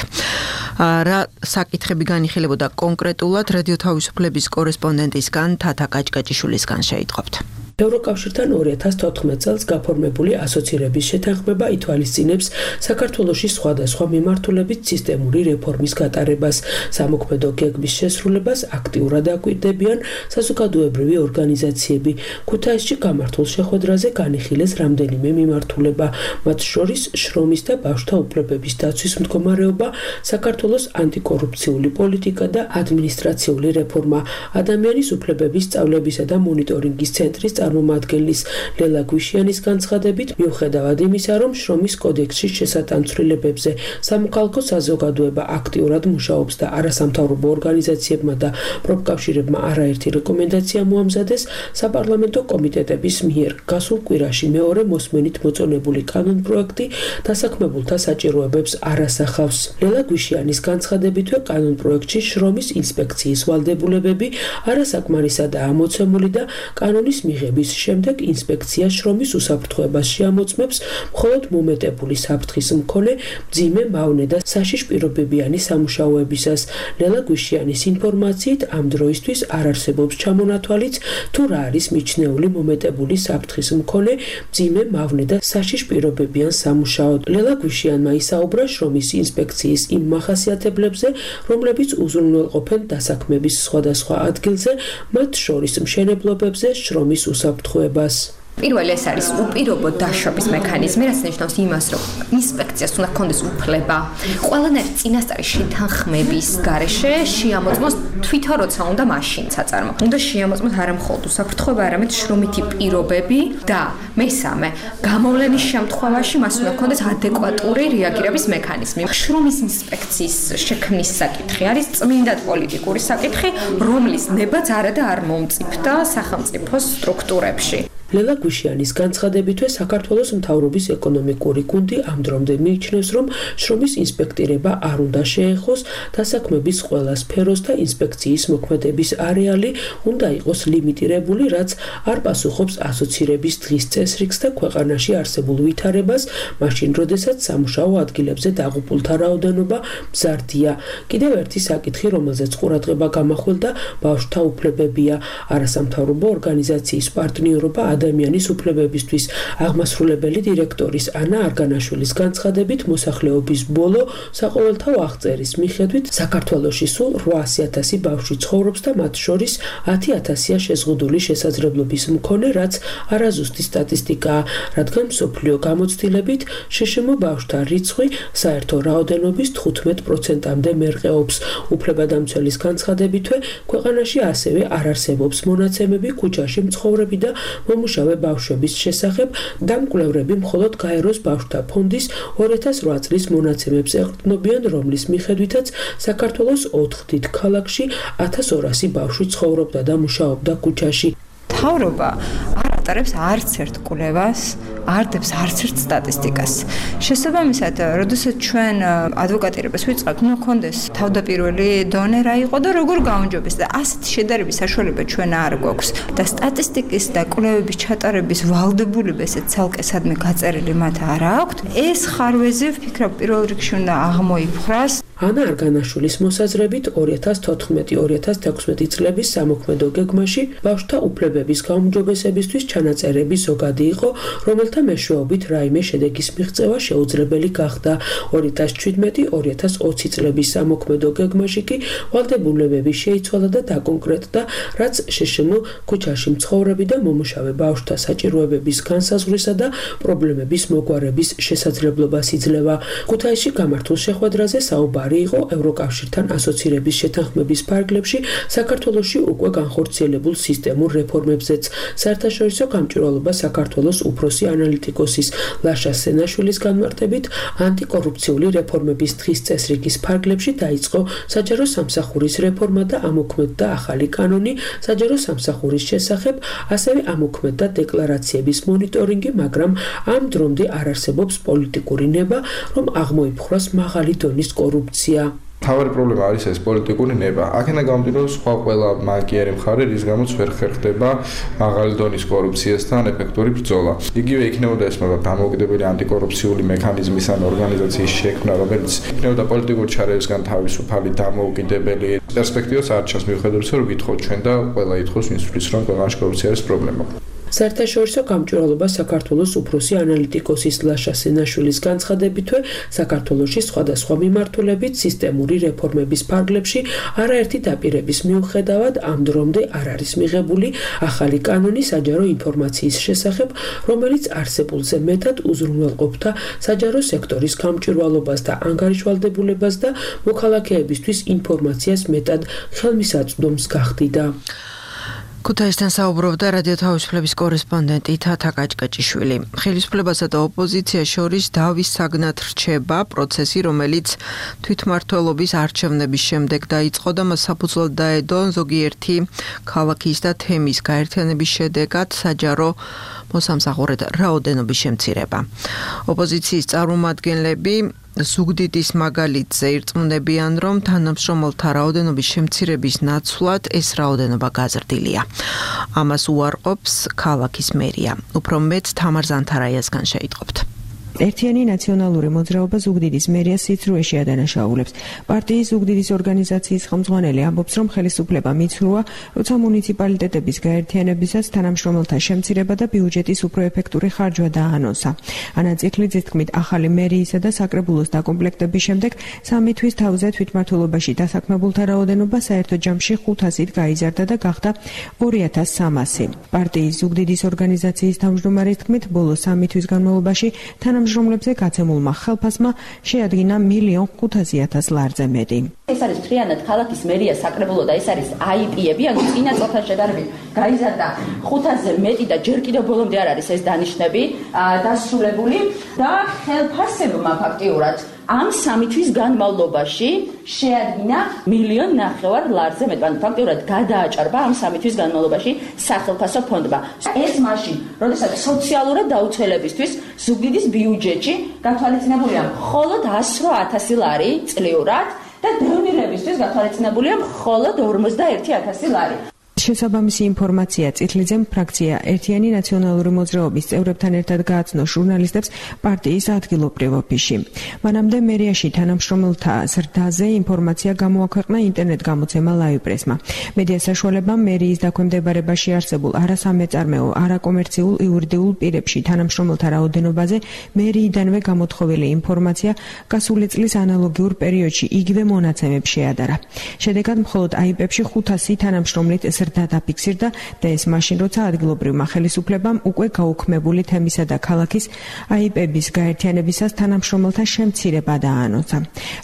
რა საკითხები განიხილებოდა კონკრეტულად რადიო თავისუფლების კორესპონდენტისგან თათა კაჭკაჭიშვილისგან შეიტყობთ. ევროკავშირთან ორი ათას თოთხმეტ წელს გაფორმებული ასოცირების შეთანხმება ითვალისწინებს საქართველოში სხვადასხვა მიმართულებით სისტემური რეფორმის გატარებას, სამოქმედო გეგმის შესრულებას აქტიურად აკვირდებიან საზოგადოებრივი ორგანიზაციები. ქუთაისში გამართულ შეხვედრაზე განიხილეს რამდენიმე მიმართულება, მათ შორის შრომის და ბავშვთა უფლებების დაცვის მდგომარეობა, საქართველოს ანტიკორუფციული პოლიტიკა და ადმინისტრაციული რეფორმა, ადამიანის უფლებების სწავლებისა და მონიტორინგის ცენტრის წარმომადგენლის ლელა გვიშიანის განცხადებით, მიუხედავად იმისა, რომ შრომის კოდექსში შესატანცვლილებებზე სამოქალაქო საზოგადოება აქტიურად მუშაობს და არასამთავრობო ორგანიზაციებმა და პროფკავშირებმა არაერთი რეკომენდაცია მოამზადეს, საპარლამენტო კომიტეტების მიერ გასულ კვირაში მეორე მოსმენით მოწონებული კანონპროექტი დასაქმებულთა საჭიროებებს არ ასახავს. ლელა გვიშიანის განცხადებითვე კანონპროექტში შრომის ინსპექციის ვალდებულებები არასაკმარისად ამოცემული და კანონის მიღების შემდეგ ინსპექცია შრომის უსაფრთხოებას შეამოწმებს მხოლოდ მომეტებული საფრთხის მქონე მძიმე მავნე და საშიშ პირობებიანი სამუშაოებისას. ლელა გვიშიანის ინფორმაციით ამ დროისთვის არ არსებობს ჩამონათვალიც თუ რა არის მიჩნეული მომეტებული საფრთხის მქონე მძიმე მავნე და საშიშ პირობებიან სამუშაოდ. ლელა გვიშიანმა ისაუბრა შრომის ინსპექციის იმ მახასიათებლებზე, რომლებიც უზრუნველყოფენ დასაქმების სხვადასხვა ადგილზე, მათ შორის მშენებლობებზე შრომის უსაფრთხოებას. პირველი ეს არის უპირობო დაშვების მექანიზმი, რაც ნიშნავს იმას, რომ ინსპექციას უნდა ჰქონდეს უფლება ყველანაირი წინასწარი შეთანხმების გარეშე შეამოწმოს თვითონ როცა უნდა მაშინ საწარმო. უნდა შეამოწმოს არა მხოლოდ უსაფრთხოება, არამედ შრომითი პირობები და მესამე, გამოვლენის შემთხვევაში მას უნდა ჰქონდეს ადეკვატური რეაგირების მექანიზმი. შრომის ინსპექციის შექმნის საკითხი არის წმინდად პოლიტიკური საკითხი, რომლის ნებაც არადა არ მომწიფდა სახელმწიფოს სტრუქტურებში. ლელა გვიშიანის განცხადებითვე საქართველოს მთავრობის ეკონომიკური გუნდი ამ დრომდე მიიჩნევს, რომ შრომის ინსპექტირება არ უნდა შეეხოს დასაქმების ყველა სფეროს და ინსპექციის მოქმედების არეალი უნდა იყოს ლიმიტირებული, რაც არ პასუხობს ასოცირების დღის წესრიგს და ქვეყანაში არსებულ ვითარებას, მაშინ როდესაც სამუშაო ადგილებზე დაღუპულთა რაოდენობა მზარდია. კიდევ ერთი საკითხი, რომელზეც ყურადღება გამახვილდა, ბავშვთა უფლებებია. არასამთავრობო ორგანიზაციის პარტნიორობა ადამიანის უფლებებისთვის აღმასრულებელი დირექტორის ანა არგანაშვილის განცხადებით, მოსახლეობის ბოლო საყოველთაო აღწერის მიხედვით საქართველოში სულ რვაასი ათასი ბავშვი ცხოვრობს და მათ შორის ათი ათასია შეზღუდული შესაძლებლობის მქონე, რაც არაზუსტი სტატისტიკაა, რადგან მსოფლიო გამოცდილებით შშმ ბავშვთა რიცხვი საერთო რაოდენობის თხუთმეტ პროცენტამდე მერყეობს. უფლებადამცველის განცხადებითვე, ქვეყანაში ასევე არ არსებობს მონაცემები ქუჩაში მცხოვრები და მომუშავე ბავშვების შესახებ და მკვლევრები მხოლოდ გაეროს ბავშვთა ფონდის ორი ათას ოთხ წლის მონაცემებს ეყრდნობიან, რომლის მიხედვითაც საქართველოს ოთხ დიდ ქალაქში ათას ორასი ბავშვი ცხოვრობდა და მუშაობდა ქუჩაში. მთავრობა არ ატარებს არც ერთ კვლევას, არ დებს არც ერთ სტატისტიკას. შესაბამისად, როდესაც ჩვენ ადვოკატირებას ვიწყებთ, ნუ კონდეს თავდაპირველი დონე რა იყო და როგორ გაუნჯობეს და ასეთი შედარების საშუალება ჩვენ არ გვაქვს და სტატისტიკის და კვლევების ჩატარების ვალდებულება ესეც ცალკე სადმე გაწერილი მათ არ აქვთ. ეს ხარვეზი ვფიქრობ პირველ რიგში უნდა აღმოიფხრას. ანა არგანაშვილის მოსაზრებით ორი ათას თოთხმეტი ორი ათას თექვსმეტი წლების სამოქმედო გეგმაში ბავშვთა უფლებების გაუმჯობესებისთვის ჩანაწერები ზოგადი იყო, რომელთა მეშვეობით რაიმე შედეგის მიღწევა შეუძლებელი გახდა. ორი ათას შვიდმეტი ორი ათას ოცი წლების სამოქმედო გეგმაში კი ვალდებულებები შეიცვალა და დაკონკრეტდა, რაც შშმ ქუჩაში მცხოვრები და მომუშავე ბავშვთა საჭიროებების განსაზღვრისა და პრობლემების მოგვარების შესაძლებლობას იძლევა. ქუთაისში გამართულ შეხვედრაზე საუბარი იყო ევროკავშირთან ასოცირების შეთანხმების ფარგლებში საქართველოში უკვე განხორციელებულ სისტემურ რეფორმებზეც. საერთაშორისო გამჭვირვალობა საქართველოს უფროსი ანალიტიკოსის ლაშა სენაშვილის განმარტებით, ანტიკორუფციული რეფორმების დღის წესრიგის ფარგლებში დაიწყო საჯარო სამსახურის რეფორმა და ამოქმედდა ახალი კანონი საჯარო სამსახურის შესახებ, ასევე ამოქმედდა დეკლარაციების მონიტორინგი, მაგრამ ამ დრომდე არ არსებობს პოლიტიკური ნება, რომ აღმოიფხვრას მაღალი დონის კორუფცია. მთავარი პრობლემა არის ეს პოლიტიკური ნება. აქედან გამომდინარე, სხვა ყველა მაგიერი მხარე, რის გამოც ვერ ხერხდება მაღალი დონის კორუფციასთან ეფექტური ბრძოლა. იგივე იქნებოდა ეს მაგრამ დამოუკიდებელი ანტიკორუფციული მექანიზმის ან ორგანიზაციის შექმნა, რომელიც იქნებოდა პოლიტიკური ჩარევისგან თავისუფალი, დამოუკიდებელი. პერსპექტივას არ ჩანს, მიუხედავად იმისა, რომ ვითხოვთ ჩვენ და ყველა ითხოვს ვინც თვლის, რომ ქვეყანაში კორუფცია არის პრობლემა. საერთაშორისო გამჭვირვალობა საქართველოს უფროსი ანალიტიკოსის ლაშა სენაშვილის განცხადებითვე, საქართველოში სხვადასხვა მიმართულებით სისტემური რეფორმების ფარგლებში არაერთი დაპირების მიუხედავად ამ დრომდე არ არის მიღებული ახალი კანონი საჯარო ინფორმაციის შესახებ, რომელიც არსებულზე მეტად უზრუნველყოფდა საჯარო სექტორის გამჭვირვალობას და ანგარიშვალდებულებას და მოქალაქეებისთვის ინფორმაციას მეტად ხელმისაწვდომს გახდიდა. ქუთაისთან საუბრობდა რადიო თავისუფლების კორესპონდენტი თათა კაჭკაჭიშვილი. ხელისუფლებასა და ოპოზიციას შორის დავის საგნად რჩება პროცესი, რომელიც თვითმმართველობის არჩევნების შემდეგ დაიწყო და მას საფუძვლად დაედო ზოგიერთი ქალაქის და თემის გაერთიანების შედეგად საჯარო მოსამსახურედ რაოდენობის შემცირება. ოპოზიციის წარმომადგენლები ზუგდიდის მაგალითზე ირწმუნებიან, რომ თანამშრომელთა რაოდენობის შემცირების ნაცვლად ეს რაოდენობა გაზრდილია. ამას უარყოფს ქალაქის მერია. უფრო მეტ თამარ ზანთარაიასგან შეიტყობთ. ერთიანი ნაციონალური მოძრაობა ზუგდიდის მერიას სიცრუეში ადანაშაულებს. პარტიის ზუგდიდის ორგანიზაციის ხელმძღვანელი ამბობს, რომ ხელისუფლება მიცრუა, როცა მუნიციპალიტეტების გაერთიანებისას თანამშრომელთა შემცირება და ბიუჯეტის უფრო ეფექტური ხარჯვა დაანონსა. ანა წიხლიძის თქმით, ახალი მერიისა და საკრებულოს დაკომპლექტების შემდეგ სამი თვის თავზე თვითმმართველობაში დასაქმებულთა რაოდენობა საერთო ჯამში ხუთასით გაიზარდა და გახდა ორი ათას სამასი. პარტიის ზუგდიდის ორგანიზაციის თავმჯდომარის თქმით, ბოლო სამი თვის განმავლობაში თანამშრომლებზე გაცემულმა ხელფასმა შეადგინა მილიონ ხუთასი ათას ლარზე მეტი. ეს არის ფრიანად ქალაქის მერია საკრებულო და ეს არის აიპი-ები, ანუ წინა წელთან შედარებით გაიზარდა ხუთასზე მეტი და ჯერ კიდევ ბოლომდე არ არის ეს დანიშნები დასრულებული და ხელფასებმა ფაქტიურად ამ სამი თვის განმავლობაში შეადგინა მილიონ ნახევარ ლარზე მეტი. ანუ ფაქტიურად გადააჭარბა ამ სამი თვის განმავლობაში სახელფასო ფონდმა. ეს მაშინ, როდესაც სოციალურად დაუცველებისთვის ზუგდიდის ბიუჯეტში გათვალისწინებულია მხოლოდ ასი ათასი ლარი წლიურად და დევნილებისთვის გათვალისწინებულია მხოლოდ ორმოცდაერთი ათასი ლარი. შესაბამისი ინფორმაცია წითლიძემ ფრაქცია ერთიანი ნაციონალური მოძრაობის წევრებთან ერთად გააცნო ჟურნალისტებს პარტიის ადგილობრივ ოფისში. მანამდე მერიაში თანამშრომელთა ზრდაზე ინფორმაცია გამოაქვეყნა ინტერნეტ გამოცემა ლაივ-პრესმა. მედია საშუალებამ მერიის დაქვემდებარებაში არსებულ არასამეწარმეო, არაკომერციულ იურიდიულ პირებში თანამშრომელთა რაოდენობაზე მერიიდანვე გამოთხოვილი ინფორმაცია გასული წლის ანალოგიურ პერიოდში იგივე მონაცემებს შეადარა. შედეგად მხოლოდ აიპებში ხუთასი თანამშრომლით ზრდა დაფიქსირდა და ეს მაშინ, როცა ადგილობრივმა ხელისუფლებამ უკვე გაუქმებული თემისა და ქალაქის აიპების გაერთიანებისას თანამშრომელთა შემცირება დაანონსა.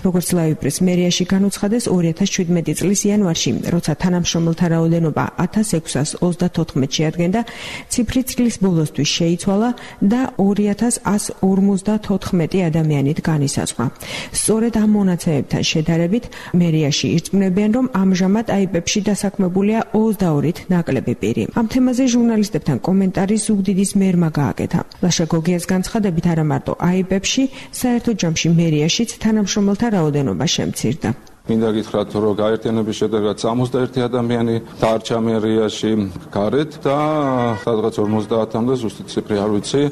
როგორც ლაივ-პრეს მერიაში განუცხადეს, ორი ათას შვიდმეტი წლის იანვარში, როცა თანამშრომელთა რაოდენობა ათას ექვსას ოცდათოთხმეტს შეადგენდა, ციფრი წლის ბოლოსთვის შეიცვალა და ორი ათას ასს ორმოცდათოთხმეტი ადამიანით განისაზღვრა. სწორედ ამ მონაცემებთან შედარებით, მერიაში ირწმუნებიან, რომ ამჟამად აიპებში დასაქმებულია ოცდაორით ნაკლები პირი. ამ თემაზე ჟურნალისტებთან კომენტარი ზუგდიდის მერმა გააკეთა. ლაშა გოგიას განცხადებით, არა მარტო აიპებში, საერთო ჯამში მერიაშიც თანამშრომელთა რაოდენობა შემცირდა. მინდა გითხრათ, რომ გაერთიანების შედეგად სამოცდაერთი ადამიანი დარჩა მერიაში გარეთ და სადღაც ორმოცდაათამდე ზუსტი ციფრი არ ვიცი,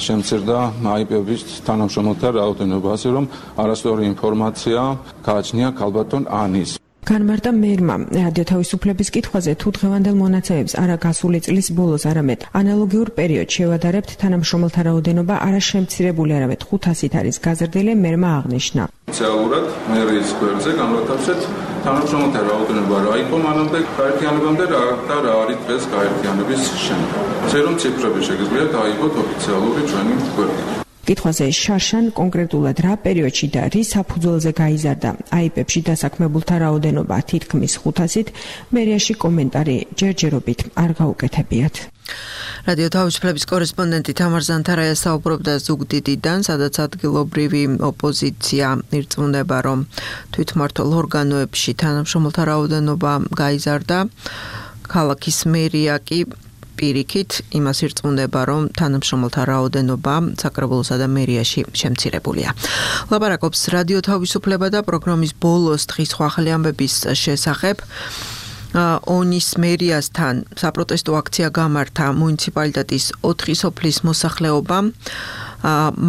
შემცირდა აიპების თანამშრომელთა რაოდენობა, ასე რომ არასწორი ინფორმაცია გააჩნია ქალბატონ ანის. განმარტა მერმა რადიო თავისუფლების კითხვაზე, თუ დღევანდელ მონაცემებს არა გასული წლის ბოლოს, არამედ ანალოგიურ პერიოდს შევადარებთ, თანამშრომელთა რაოდენობა არა შემცირებული, არამედ ხუთასით არის გაზრდილი, მერმა აღნიშნა. ოფიციალურად მერიის გვერდზე განვათავსეთ თანამშრომელთა რაოდენობა რა იყო მანამდე გაერთიანებამდე და რა არის დღეს გაერთიანების შემდეგ. ასე რომ ციფრები შეგიძლია დაიგოთ ოფიციალური ჩვენი გვერდით. კითხვაზე შარშან კონკრეტულად რა პერიოდში და რის საფუძველზე გაიზარდა აიპებში დასაქმებულთა რაოდენობა თითქმის ხუთასით, მერიაში კომენტარი ჯერჯერობით არ გაუკეთებიათ. რადიო თავისუფლების კორესპონდენტი თამარ ზანთარაია საუბრობდა ზუგდიდიდან, სადაც ადგილობრივი ოპოზიცია ირწმუნება, რომ თვითმმართველ ორგანოებში თანამშრომელთა რაოდენობა გაიზარდა. ქალაქის მერია კი პირიქით იმას ირწმუნება, რომ თანამშრომელთა რაოდენობა საკრებულოსა და მერიაში შემცირებულია. ლაპარაკობს რადიო თავისუფლება და პროგრამის ბოლოს დღის ახალი ამბების შესახებ. ონის მერიასთან საპროტესტო აქცია გამართა მუნიციპალიტეტის ოთხი სოფლის მოსახლეობამ.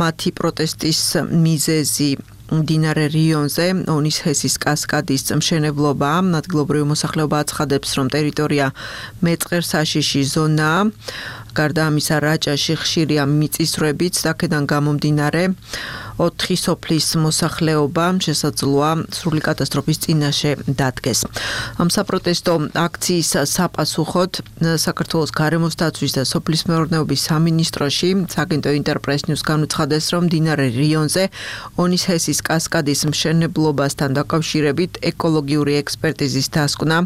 მათი პროტესტის მიზეზი მდინარე რიონზე ონის ჰესის კასკადის მშენებლობა. ადგილობრივი მოსახლეობა აცხადებს, რომ ტერიტორია მეწყერსაშიში ზონაა. გარდა ამისა, რაჭაში ხშირია მიწისძვრებიც, აქედან გამომდინარე ოთხი სოფლის მოსახლეობა შესაძლოა სრული კატასტროფის წინაშე დადგეს. ამ საპროტესტო აქციის საპასუხოდ საქართველოს გარემოს დაცვის და სოფლის მეურნეობის სამინისტროში საგენტო ინტერპრეს ნიუს განუცხადეს, რომ მდინარე რიონზე ონის ჰესის კასკადის მშენებლობასთან დაკავშირებით ეკოლოგიური ექსპერტიზის დასკვნა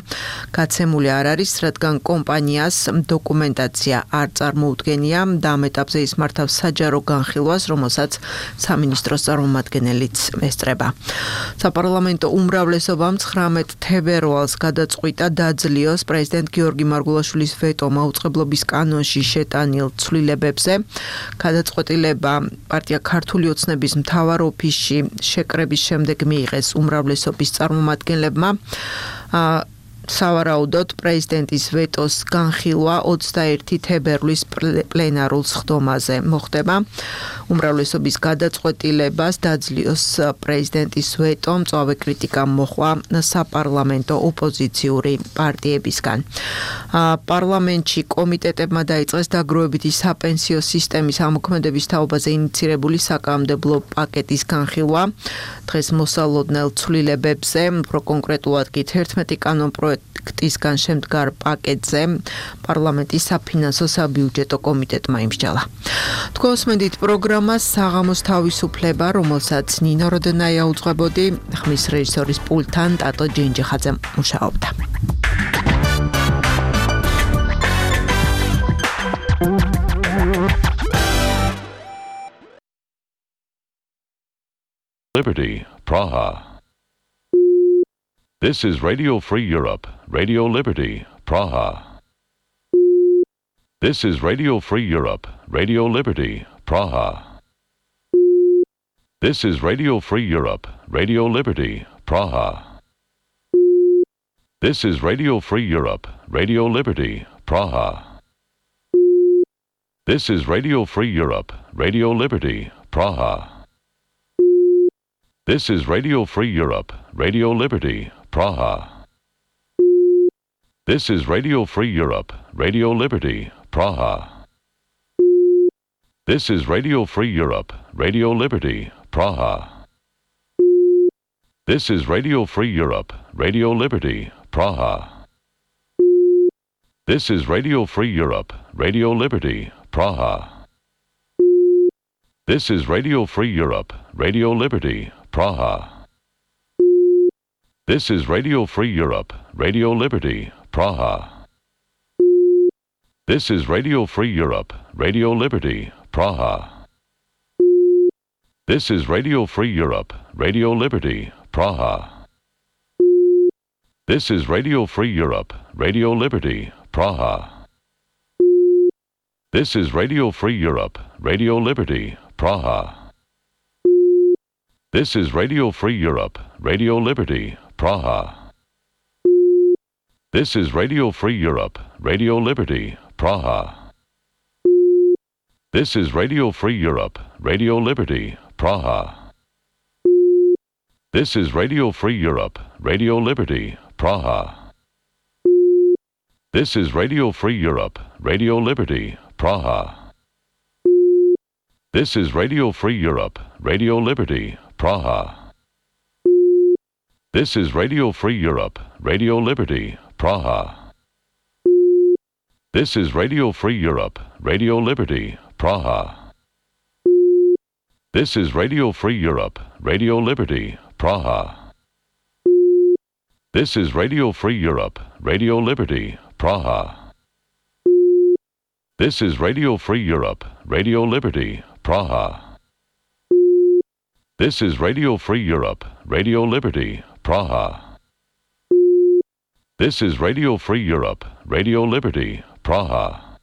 გაცემული არ არის, რადგან კომპანიას დოკუმენტაცია არ წარმოუდგენია და ამ ეტაპზე ის მართავს საჯარო განხილვას, რომელსაც სამინისტროს წარმომადგენელიც ესწრება. საპარლამენტო უმრავლესობამ ცხრამეტ თებერვალს გადაწყვიტა დაძლიოს პრეზიდენტ გიორგი მარგულაშვილის ვეტო მაუწყებლობის კანონში შეტანილ ცვლილებებზე. გადაწყვეტილება პარტია ქართული ოცნების მთავარ ოფისში შეკრების შემდეგ მიიღეს უმრავლესობის წარმომადგენლებმა. სავარაუდოდ პრეზიდენტის ვეტოს განხილვა ოცდაერთი თებერვლის პლენარულ სხდომაზე მოხდება. უმრავლესობის გადაწყვეტილებას დაძლიოს პრეზიდენტის ვეტო მწვავე კრიტიკა მოჰყვა საპარლამენტო ოპოზიციური პარტიებისგან. პარლამენტში კომიტეტებმა დაიწყეს დაგროვებითი საპენსიო სისტემის ამოქმედების თაობაზე ინიცირებული საკანონმდებლო პაკეტის განხილვა. დღეს მოსალოდნელ ცვლილებებზე, უფრო კონკრეტულად კი თერთმეტი კანონპროექტისგან შემდგარ პაკეტზე პარლამენტის საფინანსო საბიუჯეტო კომიტეტმა იმსჯალა. თქვენ უსმენთ პროგრამას საღამოს თავისუფლება, რომელსაც ნინო როდენაია უძღვებოდი, ხმის რეჟისორის პულტთან ტატო ჯენჯიხაძე მუშაობდა. Liberty, Praha. This is Radio Free Europe, Radio Liberty, Praha. This is Radio Free Europe, Radio Liberty, Praha. This is Radio Free Europe, Radio Liberty, Praha. This is Radio Free Europe, Radio Liberty, Praha. This is Radio Free Europe, Radio Liberty, Praha. This is Radio Free Europe, Radio Liberty, Praha. This is Radio Free Europe, Radio Liberty, Praha. This is Radio Free Europe, Radio Liberty, Praha. This is Radio Free Europe, Radio Liberty, Praha. This is Radio Free Europe, Radio Liberty, Praha. This is Radio Free Europe, Radio Liberty, Praha. This is Radio Free Europe, Radio Liberty, Praha. This is Radio Free Europe, Radio Liberty, Praha. This is Radio Free Europe, Radio Liberty, Praha. This is Radio Free Europe, Radio Liberty, Praha. This is Radio Free Europe, Radio Liberty, Praha. This is Radio Free Europe, Radio Liberty, Praha. This is Radio Free Europe, Radio Liberty, Praha. This is Radio Free Europe, Radio Liberty, Praha. This is Radio Free Europe, Radio Liberty, Praha. This is Radio Free Europe, Radio Liberty, Praha. This is Radio Free Europe, Radio Liberty, Praha. This is Radio Free Europe, Radio Liberty, Praha. This is Radio Free Europe, Radio Liberty, Praha. This is Radio Free Europe, Radio Liberty, Praha. This is Radio Free Europe, Radio Liberty, Praha. This is Radio Free Europe, Radio Liberty, Praha. This is Radio Free Europe, Radio Liberty, Praha. This is Radio Free Europe, Radio Liberty, Praha.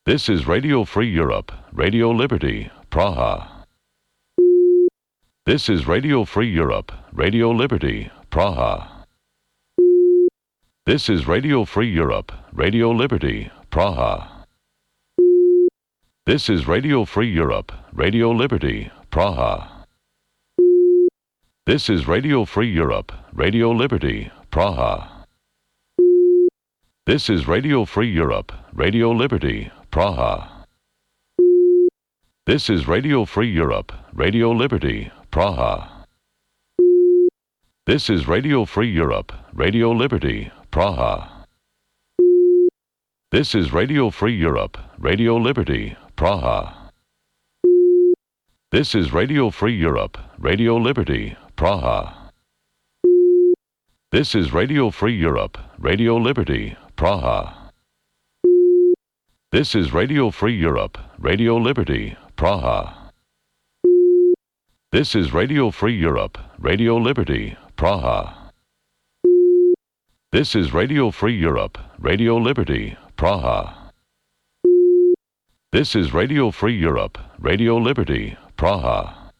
This is Radio Free Europe, Radio Liberty, Praha. This is Radio Free Europe, Radio Liberty, Praha. This is Radio Free Europe, Radio Liberty, Praha. This is Radio Free Europe, Radio Liberty, Praha. This is Radio Free Europe, Radio Liberty, Praha. This is Radio Free Europe, Radio Liberty, Praha. This is Radio Free Europe, Radio Liberty, Praha. This is Radio Free Europe, Radio Liberty, Praha. This is Radio Free Europe, Radio Liberty, Praha. This is Radio Free Europe, Radio Liberty, Praha. This is Radio Free Europe, Radio Liberty, Praha. This is Radio Free Europe, Radio Liberty, Praha. This is Radio Free Europe, Radio Liberty, Praha. This is Radio Free Europe, Radio Liberty, Praha. This is Radio Free Europe, Radio Liberty, Praha.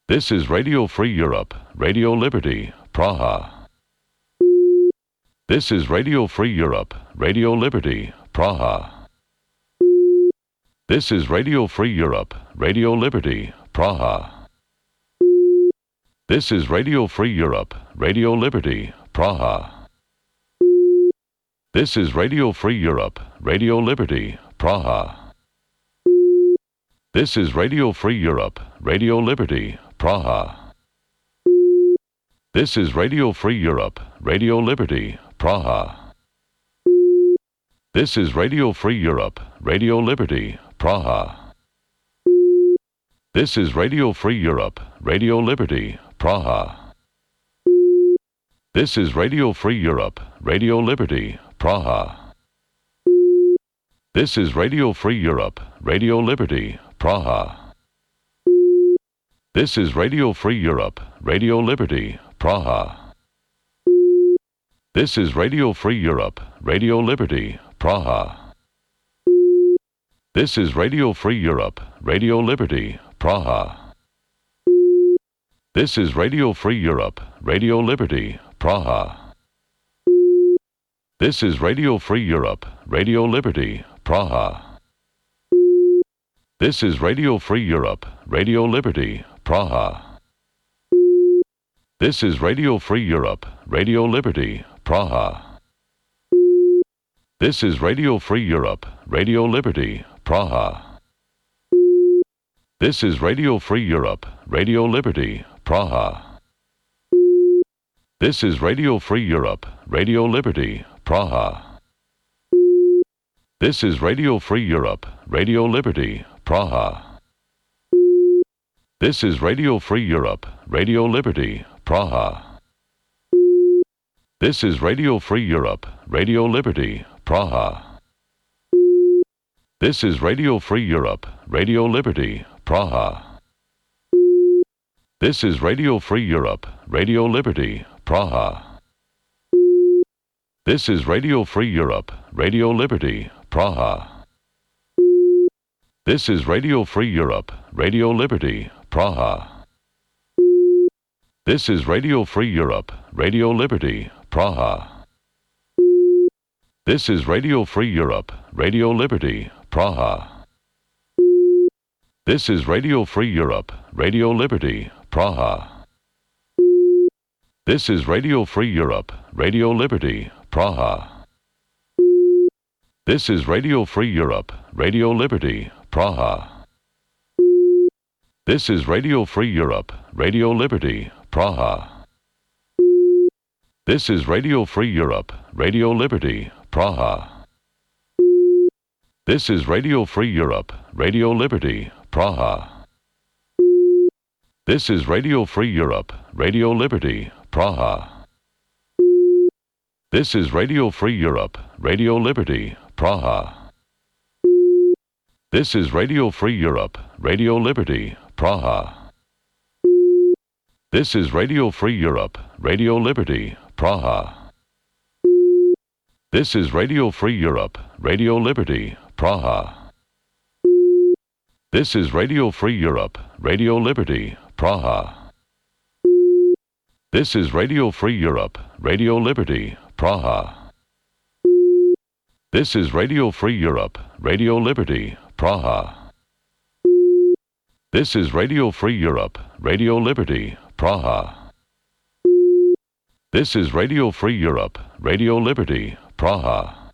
This is Radio Free Europe, Radio Liberty, Praha. This is Radio Free Europe, Radio Liberty, Praha. This is Radio Free Europe, Radio Liberty, Praha. This is Radio Free Europe, Radio Liberty, Praha. This is Radio Free Europe, Radio Liberty, Praha. This is Radio Free Europe, Radio Liberty, Praha. This is Radio Free Europe, Radio Liberty, Praha. This is Radio Free Europe, Radio Liberty, Praha. This is Radio Free Europe, Radio Liberty, Praha. This is Radio Free Europe, Radio Liberty, Praha. This is Radio Free Europe, Radio Liberty, Praha. This is Radio Free Europe, Radio Liberty, Praha. This is Radio Free Europe, Radio Liberty, Praha. This is Radio Free Europe, Radio Liberty, Praha. This is Radio Free Europe, Radio Liberty, Praha. This is Radio Free Europe, Radio Liberty, Praha. This is Radio Free Europe, Radio Liberty, Praha. This is Radio Free Europe, Radio Liberty, Praha. This is Radio Free Europe, Radio Liberty, Praha. This is Radio Free Europe, Radio Liberty, Praha. This is Radio Free Europe, Radio Liberty, Praha. This is Radio Free Europe, Radio Liberty, Praha. This is Radio Free Europe, Radio Liberty, Praha. This is Radio Free Europe, Radio Liberty, Praha. This is Radio Free Europe, Radio Liberty, Praha. This is Radio Free Europe, Radio Liberty, Praha. This is Radio Free Europe, Radio Liberty, Praha. This is Radio Free Europe, Radio Liberty, Praha. This is Radio Free Europe, Radio Liberty, Praha. This is Radio Free Europe, Radio Liberty, Praha. This is Radio Free Europe, Radio Liberty, Praha. This is Radio Free Europe, Radio Liberty, Praha. This is Radio Free Europe, Radio Liberty, Praha. This is Radio Free Europe, Radio Liberty, Praha. This is Radio Free Europe, Radio Liberty, Praha. This is Radio Free Europe, Radio Liberty, Praha. This is Radio Free Europe, Radio Liberty, Praha. This is Radio Free Europe, Radio Liberty, Praha. This is Radio Free Europe, Radio Liberty, Praha. This is Radio Free Europe, Radio Liberty, Praha. This is Radio Free Europe, Radio Liberty, Praha. This is Radio Free Europe, Radio Liberty, Praha. This is Radio Free Europe, Radio Liberty, Praha. This is Radio Free Europe, Radio Liberty, Praha. This is Radio Free Europe, Radio Liberty, Praha. This is Radio Free Europe, Radio Liberty, Praha.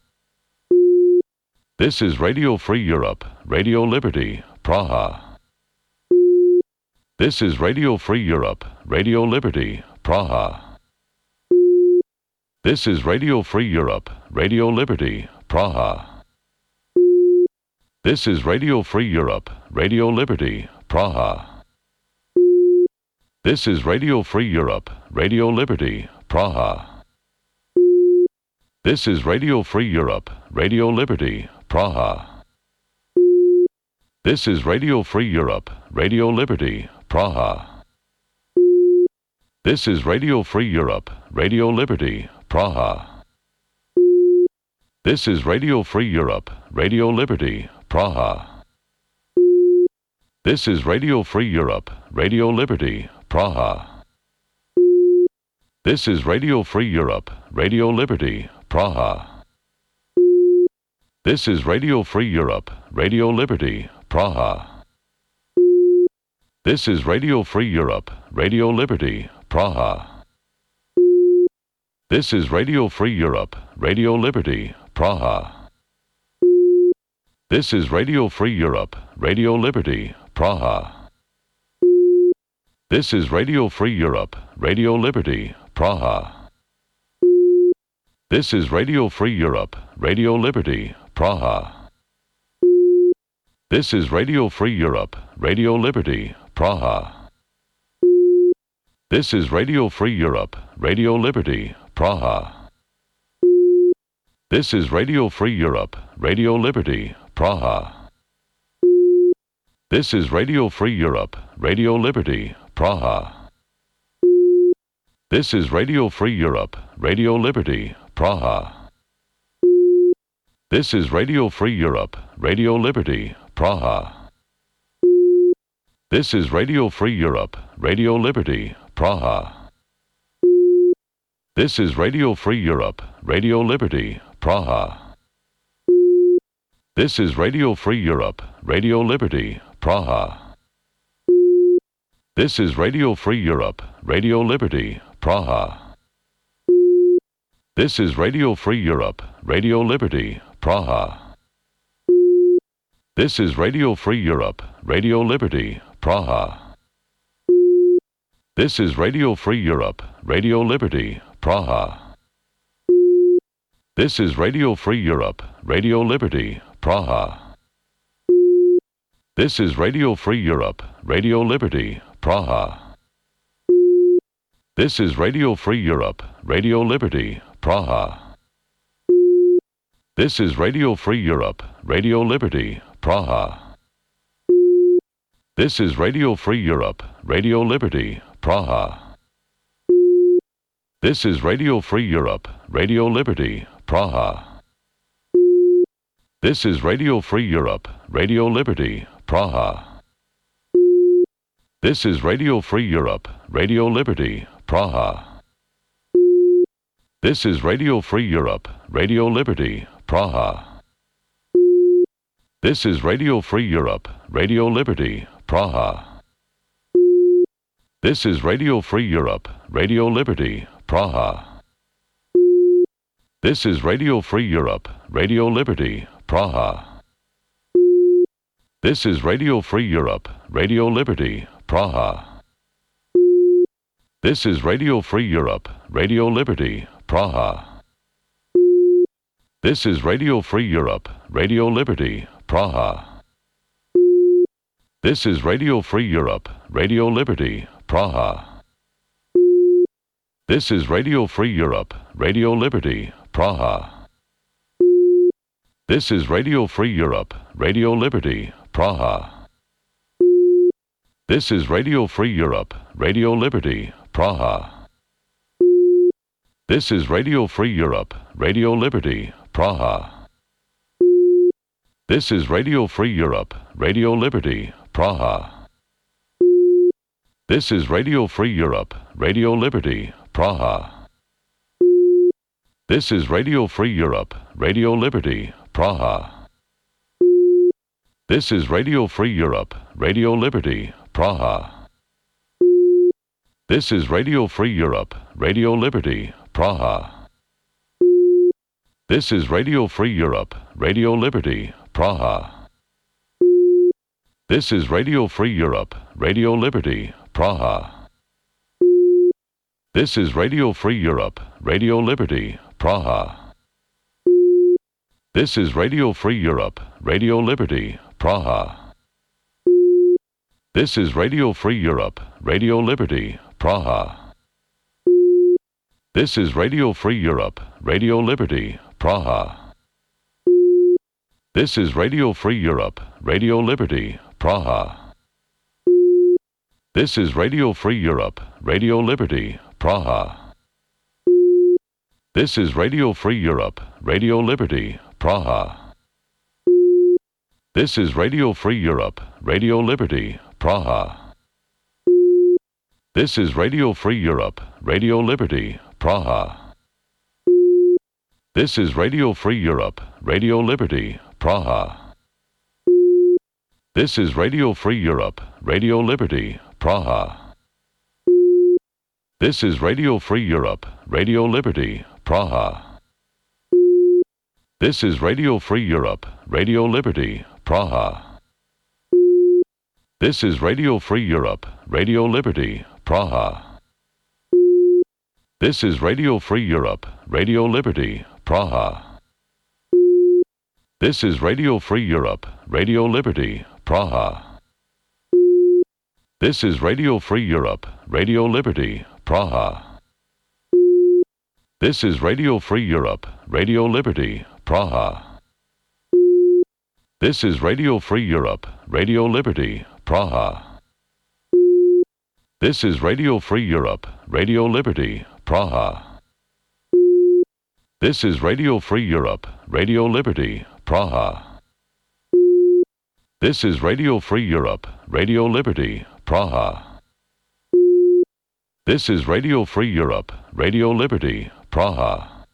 This is Radio Free Europe, Radio Liberty, Praha. This is Radio Free Europe, Radio Liberty, Praha. This is Radio Free Europe, Radio Liberty, Praha. This is Radio Free Europe, Radio Liberty, Praha. This is Radio Free Europe, Radio Liberty, Praha. This is Radio Free Europe, Radio Liberty, Praha. This is Radio Free Europe, Radio Liberty, Praha. This is Radio Free Europe, Radio Liberty, Praha. This is Radio Free Europe, Radio Liberty, Praha. This is Radio Free Europe, Radio Liberty, Praha. This is Radio Free Europe, Radio Liberty, Praha. This is Radio Free Europe, Radio Liberty, Praha. This is Radio Free Europe, Radio Liberty, Praha. This is Radio Free Europe, Radio Liberty, Praha. This is Radio Free Europe, Radio Liberty, Praha. This is Radio Free Europe, Radio Liberty, Praha. This is Radio Free Europe, Radio Liberty, Praha. This is Radio Free Europe, Radio Liberty, Praha. This is Radio Free Europe, Radio Liberty, Praha. This is Radio Free Europe, Radio Liberty, Praha. This is Radio Free Europe, Radio Liberty, Praha. This is Radio Free Europe, Radio Liberty, Praha. This is Radio Free Europe, Radio Liberty, Praha. This is Radio Free Europe, Radio Liberty, Praha. This is Radio Free Europe, Radio Liberty, Praha. This is Radio Free Europe, Radio Liberty, Praha. This is Radio Free Europe, Radio Liberty, Praha. This is Radio Free Europe, Radio Liberty, Praha. This is Radio Free Europe, Radio Liberty, Praha. This is Radio Free Europe, Radio Liberty, Praha. This is Radio Free Europe, Radio Liberty, Praha. This is Radio Free Europe, Radio Liberty, Praha. This is Radio Free Europe, Radio Liberty, Praha. This is Radio Free Europe, Radio Liberty, Praha. This is Radio Free Europe, Radio Liberty, Praha. This is Radio Free Europe, Radio Liberty, Praha. This is Radio Free Europe, Radio Liberty, Praha. This is Radio Free Europe, Radio Liberty, Praha. This is Radio Free Europe, Radio Liberty, Praha. This is Radio Free Europe, Radio Liberty, Praha. This is Radio Free Europe, Radio Liberty, Praha. This is Radio Free Europe, Radio Liberty, Praha. This is Radio Free Europe, Radio Liberty, Praha. This is Radio Free Europe, Radio Liberty, Praha. This is Radio Free Europe, Radio Liberty, Praha. This is Radio Free Europe, Radio Liberty, Praha. This is Radio Free Europe, Radio Liberty, Praha. This is Radio Free Europe, Radio Liberty, Praha. This is Radio Free Europe, Radio Liberty, Praha. This is Radio Free Europe, Radio Liberty, Praha. This is Radio Free Europe, Radio Liberty, Praha. This is Radio Free Europe, Radio Liberty, Praha. This is Radio Free Europe, Radio Liberty, Praha. This is Radio Free Europe, Radio Liberty, Praha. This is Radio Free Europe, Radio Liberty, Praha. This is Radio Free Europe, Radio Liberty, Praha. This is Radio Free Europe, Radio Liberty, Praha. This is Radio Free Europe, Radio Liberty, Praha. This is Radio Free Europe, Radio Liberty, Praha. This is Radio Free Europe, Radio Liberty, Praha. This is Radio Free Europe, Radio Liberty, Praha. This is Radio Free Europe, Radio Liberty, Praha. This is Radio Free Europe, Radio Liberty, Praha. This is Radio Free Europe, Radio Liberty, Praha. This is Radio Free Europe, Radio Liberty, Praha. This is Radio Free Europe, Radio Liberty, Praha. This is Radio Free Europe, Radio Liberty, Praha. This is Radio Free Europe, Radio Liberty, Praha. This is Radio Free Europe, Radio Liberty, Praha. This is Radio Free Europe, Radio Liberty, Praha. This is Radio Free Europe, Radio Liberty, Praha. This is Radio Free Europe, Radio Liberty, Praha. This is Radio Free Europe, Radio Liberty, Praha. This is Radio Free Europe, Radio Liberty, Praha. This is Radio Free Europe, Radio Liberty, Praha. This is Radio Free Europe, Radio Liberty, Praha. This is Radio Free Europe, Radio Liberty, Praha. This is Radio Free Europe, Radio Liberty, Praha. This is Radio Free Europe, Radio Liberty, Praha. This is Radio Free Europe, Radio Liberty, Praha.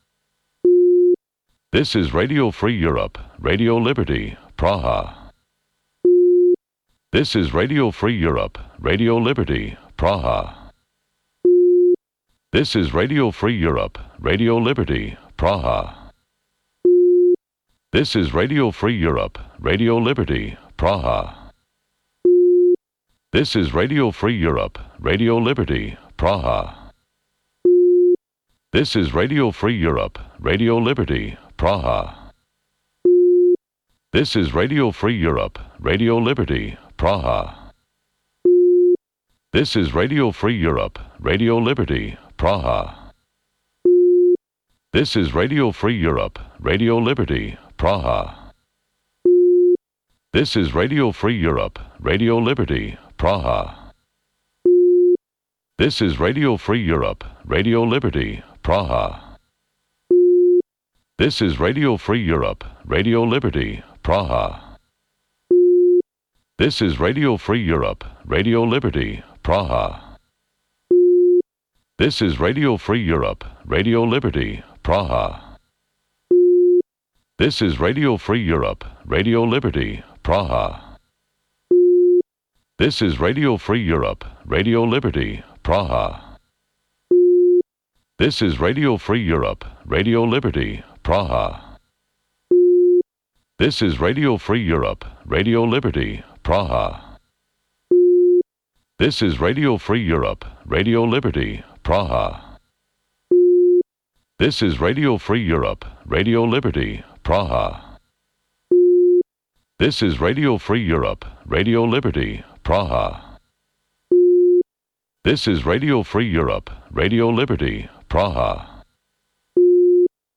This is Radio Free Europe, Radio Liberty, Praha. This is Radio Free Europe, Radio Liberty, Praha. This is Radio Free Europe, Radio Liberty, Praha. This is Radio Free Europe, Radio Liberty, Praha. This is Radio Free Europe, Radio Liberty, Praha. This is Radio Free Europe, Radio Liberty, Praha. This is Radio Free Europe, Radio Liberty, Praha. This is Radio Free Europe, Radio Liberty, Praha. This is Radio Free Europe, Radio Liberty, Praha. This is Radio Free Europe, Radio Liberty, Praha. This is Radio Free Europe, Radio Liberty, Praha. This is Radio Free Europe, Radio Liberty, Praha. This is Radio Free Europe, Radio Liberty, Praha. This is Radio Free Europe, Radio Liberty, Praha. This is Radio Free Europe, Radio Liberty, Praha. This is Radio Free Europe, Radio Liberty, Praha. This is Radio Free Europe, Radio Liberty, Praha. This is Radio Free Europe, Radio Liberty, Praha. This is Radio Free Europe, Radio Liberty, Praha. This is Radio Free Europe, Radio Liberty, Praha. This is Radio Free Europe, Radio Liberty, Praha. This is Radio Free Europe, Radio Liberty, Praha.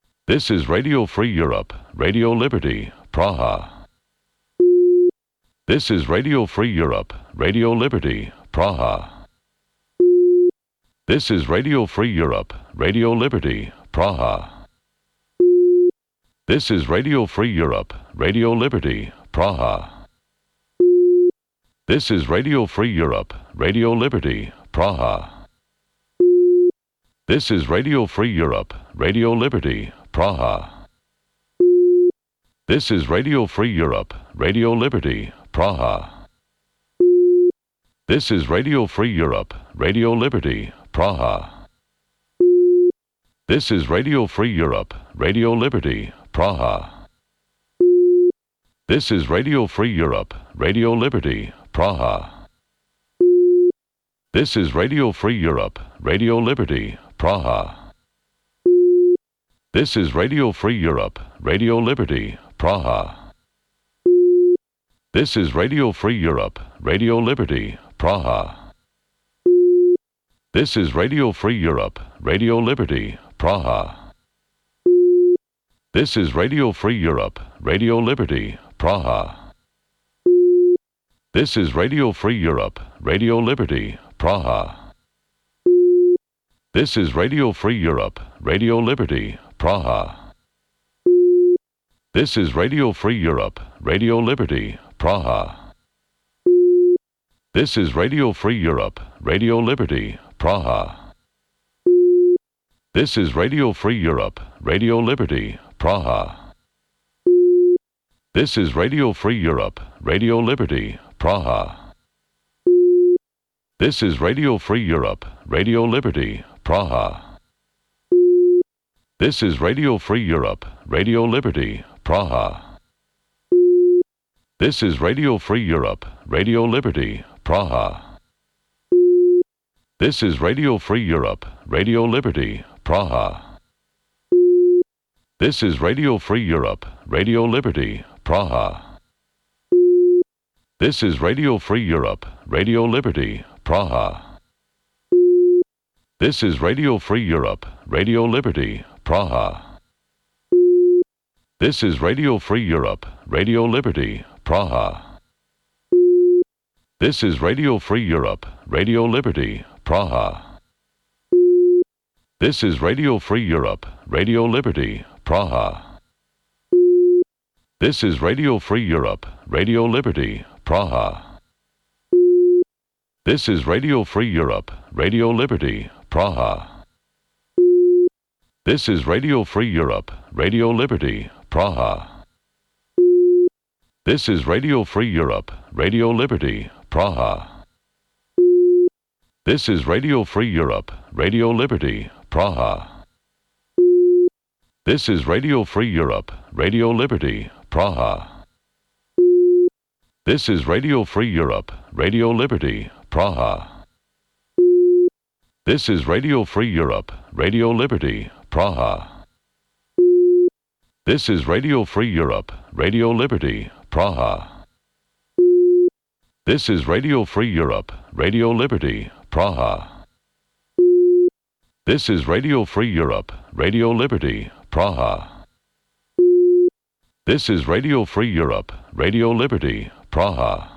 This is Radio Free Europe, Radio Liberty, Praha. This is Radio Free Europe, Radio Liberty, Praha. This is Radio Free Europe, Radio Liberty, Praha. This is Radio Free Europe, Radio Liberty, Praha. This is Radio Free Europe, Radio Liberty, Praha. This is Radio Free Europe, Radio Liberty, Praha. This is Radio Free Europe, Radio Liberty, Praha. This is Radio Free Europe, Radio Liberty, Praha. This is Radio Free Europe, Radio Liberty, Praha. This is Radio Free Europe, Radio Liberty, Praha. This is Radio Free Europe, Radio Liberty, Praha. This is Radio Free Europe, Radio Liberty, Praha. This is Radio Free Europe, Radio Liberty, Praha. This is Radio Free Europe, Radio Liberty, Praha. This is Radio Free Europe, Radio Liberty, Praha. This is Radio Free Europe, Radio Liberty, Praha. This is Radio Free Europe, Radio Liberty, Praha. This is Radio Free Europe, Radio Liberty, Praha. This is Radio Free Europe, Radio Liberty, Praha. This is Radio Free Europe, Radio Liberty, Praha. This is Radio Free Europe, Radio Liberty, Praha. This is Radio Free Europe, Radio Liberty, Praha. This is Radio Free Europe, Radio Liberty, Praha. This is Radio Free Europe, Radio Liberty, Praha. This is Radio Free Europe, Radio Liberty, Praha. This is Radio Free Europe, Radio Liberty, Praha. This is Radio Free Europe, Radio Liberty, Praha. This is Radio Free Europe, Radio Liberty, Praha. This is Radio Free Europe, Radio Liberty, Praha. This is Radio Free Europe, Radio Liberty, Praha. This is Radio Free Europe, Radio Liberty, Praha. This is Radio Free Europe, Radio Liberty, Praha. This is Radio Free Europe, Radio Liberty, Praha. This is Radio Free Europe, Radio Liberty, Praha. This is Radio Free Europe, Radio Liberty, Praha. This is Radio Free Europe, Radio Liberty, Praha. This is Radio Free Europe, Radio Liberty, Praha. This is Radio Free Europe, Radio Liberty, Praha. This is Radio Free Europe, Radio Liberty, Praha. This is Radio Free Europe, Radio Liberty, Praha. This is Radio Free Europe, Radio Liberty, Praha. This is Radio Free Europe, Radio Liberty, Praha. This is Radio Free Europe, Radio Liberty, Praha. This is Radio Free Europe, Radio Liberty, Praha.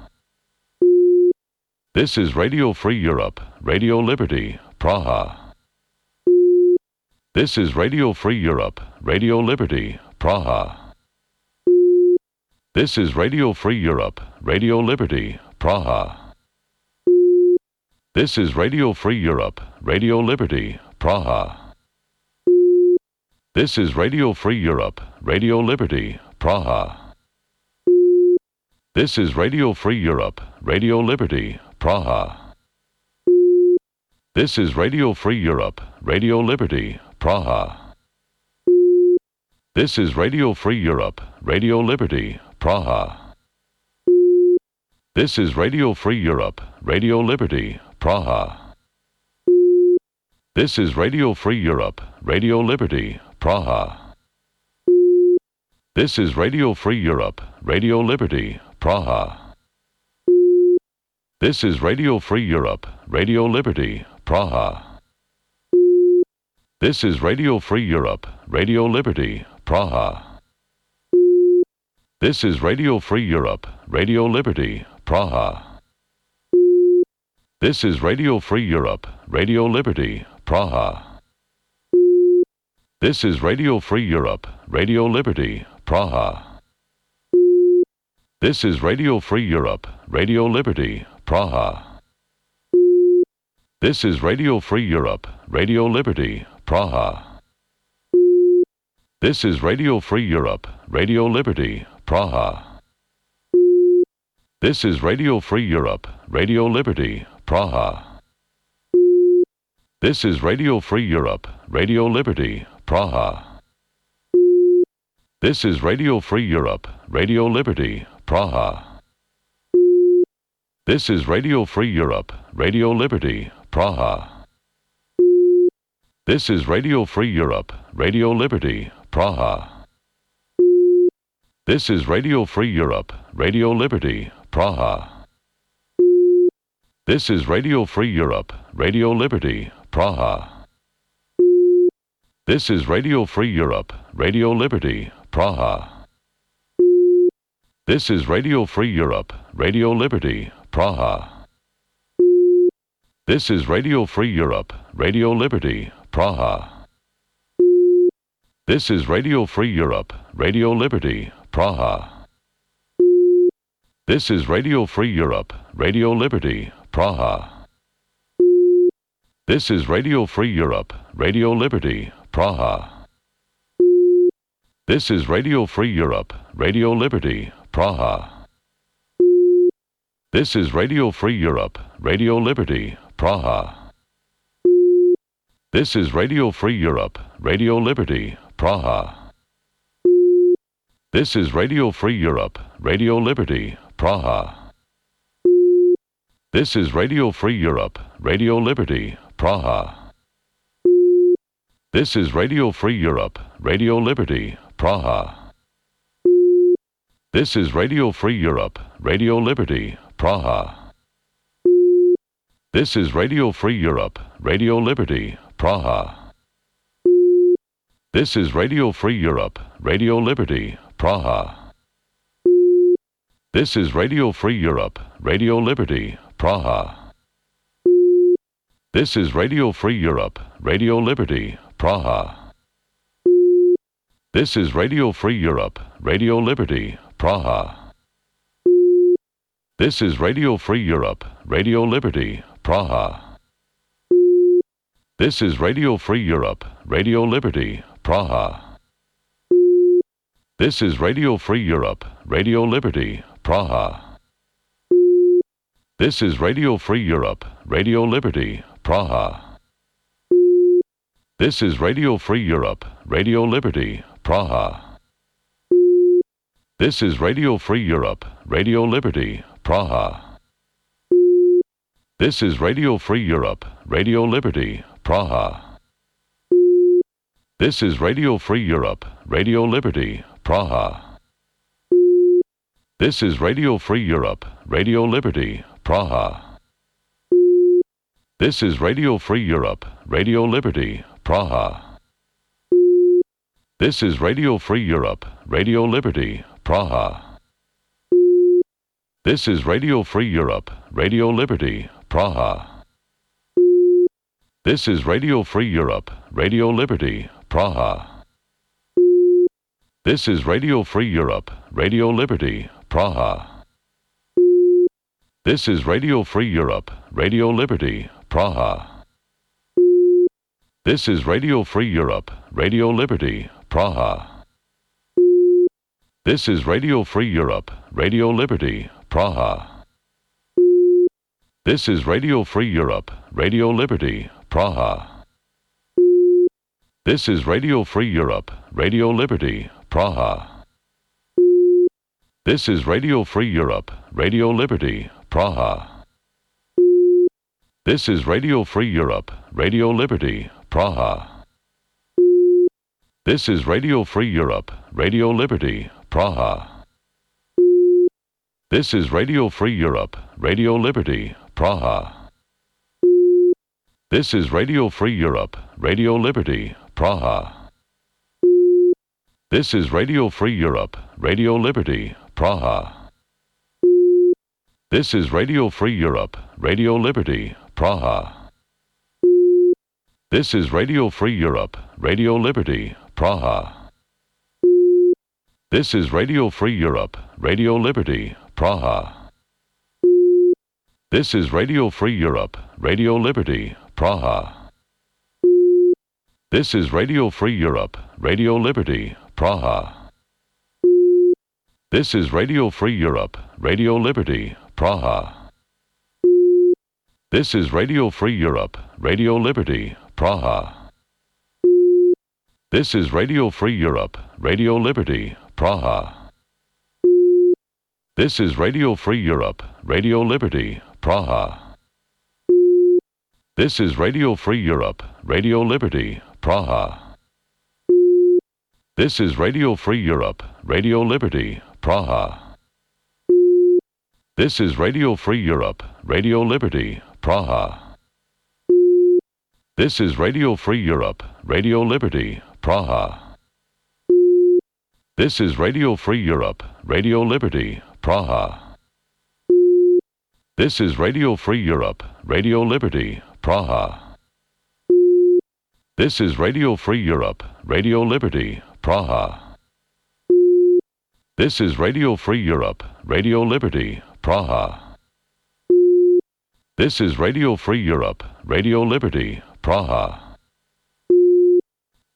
This is Radio Free Europe, Radio Liberty, Praha. This is Radio Free Europe, Radio Liberty, Praha. This is Radio Free Europe, Radio Liberty, Praha. This is Radio Free Europe, Radio Liberty, Praha. This is Radio Free Europe, Radio Liberty, Praha. This is Radio Free Europe, Radio Liberty, Praha. This is Radio Free Europe, Radio Liberty, Praha. This is Radio Free Europe, Radio Liberty, Praha. This is Radio Free Europe, Radio Liberty, Praha. This is Radio Free Europe, Radio Liberty, Praha. This is Radio Free Europe, Radio Liberty, Praha. This is Radio Free Europe, Radio Liberty, Praha. This is Radio Free Europe, Radio Liberty, Praha. This is Radio Free Europe, Radio Liberty, Praha. This is Radio Free Europe, Radio Liberty, Praha. This is Radio Free Europe, Radio Liberty, Praha. This is Radio Free Europe, Radio Liberty, Praha. This is Radio Free Europe, Radio Liberty, Praha. This is Radio Free Europe, Radio Liberty, Praha. This is Radio Free Europe, Radio Liberty, Praha. This is Radio Free Europe, Radio Liberty, Praha. This is Radio Free Europe, Radio Liberty, Praha. This is Radio Free Europe, Radio Liberty, Praha. This is Radio Free Europe, Radio Liberty, Praha. This is Radio Free Europe, Radio Liberty, Praha. This is Radio Free Europe, Radio Liberty, Praha. This is Radio Free Europe, Radio Liberty, Praha. This is Radio Free Europe, Radio Liberty, Praha. This is Radio Free Europe, Radio Liberty, Praha. This is Radio Free Europe, Radio Liberty, Praha. This is Radio Free Europe, Radio Liberty, Praha. This is Radio Free Europe, Radio Liberty, Praha. This is Radio Free Europe, Radio Liberty, Praha. This is Radio Free Europe, Radio Liberty, Praha. This is Radio Free Europe, Radio Liberty, Praha. This is Radio Free Europe, Radio Liberty, Praha. This is Radio Free Europe, Radio Liberty, Praha. This is Radio Free Europe, Radio Liberty, Praha. This is Radio Free Europe, Radio Liberty, Praha. This is Radio Free Europe, Radio Liberty, Praha. This is Radio Free Europe, Radio Liberty, Praha. This is Radio Free Europe, Radio Liberty, Praha. This is Radio Free Europe, Radio Liberty, Praha. This is Radio Free Europe, Radio Liberty, Praha. This is Radio Free Europe, Radio Liberty, Praha. This is Radio Free Europe, Radio Liberty, Praha. This is Radio Free Europe, Radio Liberty, Praha. This is Radio Free Europe, Radio Liberty, Praha. This is Radio Free Europe, Radio Liberty, Praha. This is Radio Free Europe, Radio Liberty, Praha. This is Radio Free Europe, Radio Liberty, Praha. This is Radio Free Europe, Radio Liberty, Praha. This is Radio Free Europe, Radio Liberty, Praha. This is Radio Free Europe, Radio Liberty, Praha. This is Radio Free Europe, Radio Liberty, Praha. This is Radio Free Europe, Radio Liberty, Praha. This is Radio Free Europe, Radio Liberty, Praha. This is Radio Free Europe, Radio Liberty, Praha. This is Radio Free Europe, Radio Liberty, Praha. This is Radio Free Europe, Radio Liberty, Praha. This is Radio Free Europe, Radio Liberty, Praha. This is Radio Free Europe, Radio Liberty, Praha. This is Radio Free Europe, Radio Liberty, Praha. This is Radio Free Europe, Radio Liberty, Praha. This is Radio Free Europe, Radio Liberty, Praha. This is Radio Free Europe, Radio Liberty, Praha. This is Radio Free Europe, Radio Liberty, Praha. This is Radio Free Europe, Radio Liberty, Praha. This is Radio Free Europe, Radio Liberty, Praha. This is Radio Free Europe, Radio Liberty, Praha. This is Radio Free Europe, Radio Liberty, Praha. This is Radio Free Europe, Radio Liberty, Praha. This is Radio Free Europe, Radio Liberty, Praha. This is Radio Free Europe, Radio Liberty, Praha. This is Radio Free Europe, Radio Liberty, Praha. This is Radio Free Europe, Radio Liberty, Praha. This is Radio Free Europe, Radio Liberty, Praha. This is Radio Free Europe, Radio Liberty, Praha. This is Radio Free Europe, Radio Liberty, Praha. This is Radio Free Europe, Radio Liberty, Praha. This is Radio Free Europe, Radio Liberty, Praha. This is Radio Free Europe, Radio Liberty, Praha. This is Radio Free Europe, Radio Liberty, Praha. This is Radio Free Europe, Radio Liberty, Praha. This is Radio Free Europe, Radio Liberty, Praha. This is Radio Free Europe, Radio Liberty, Praha.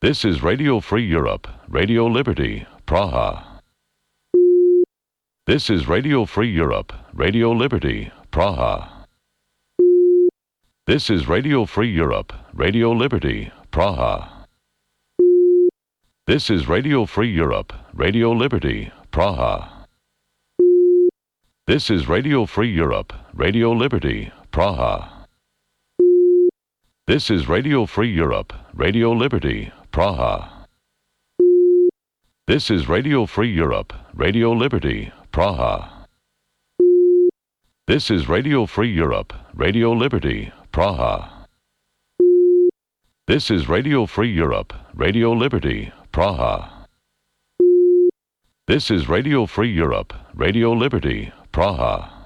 This is Radio Free Europe, Radio Liberty, Praha. This is Radio Free Europe, Radio Liberty, Praha. This is Radio Free Europe, Radio Liberty, Praha. This is Radio Free Europe, Radio Liberty, Praha. This is Radio Free Europe, Radio Liberty, Praha. This is Radio Free Europe, Radio Liberty, Praha. This is Radio Free Europe, Radio Liberty, Praha. This is Radio Free Europe, Radio Liberty, Praha. This is Radio Free Europe, Radio Liberty, Praha. This is Radio Free Europe, Radio Liberty, Praha.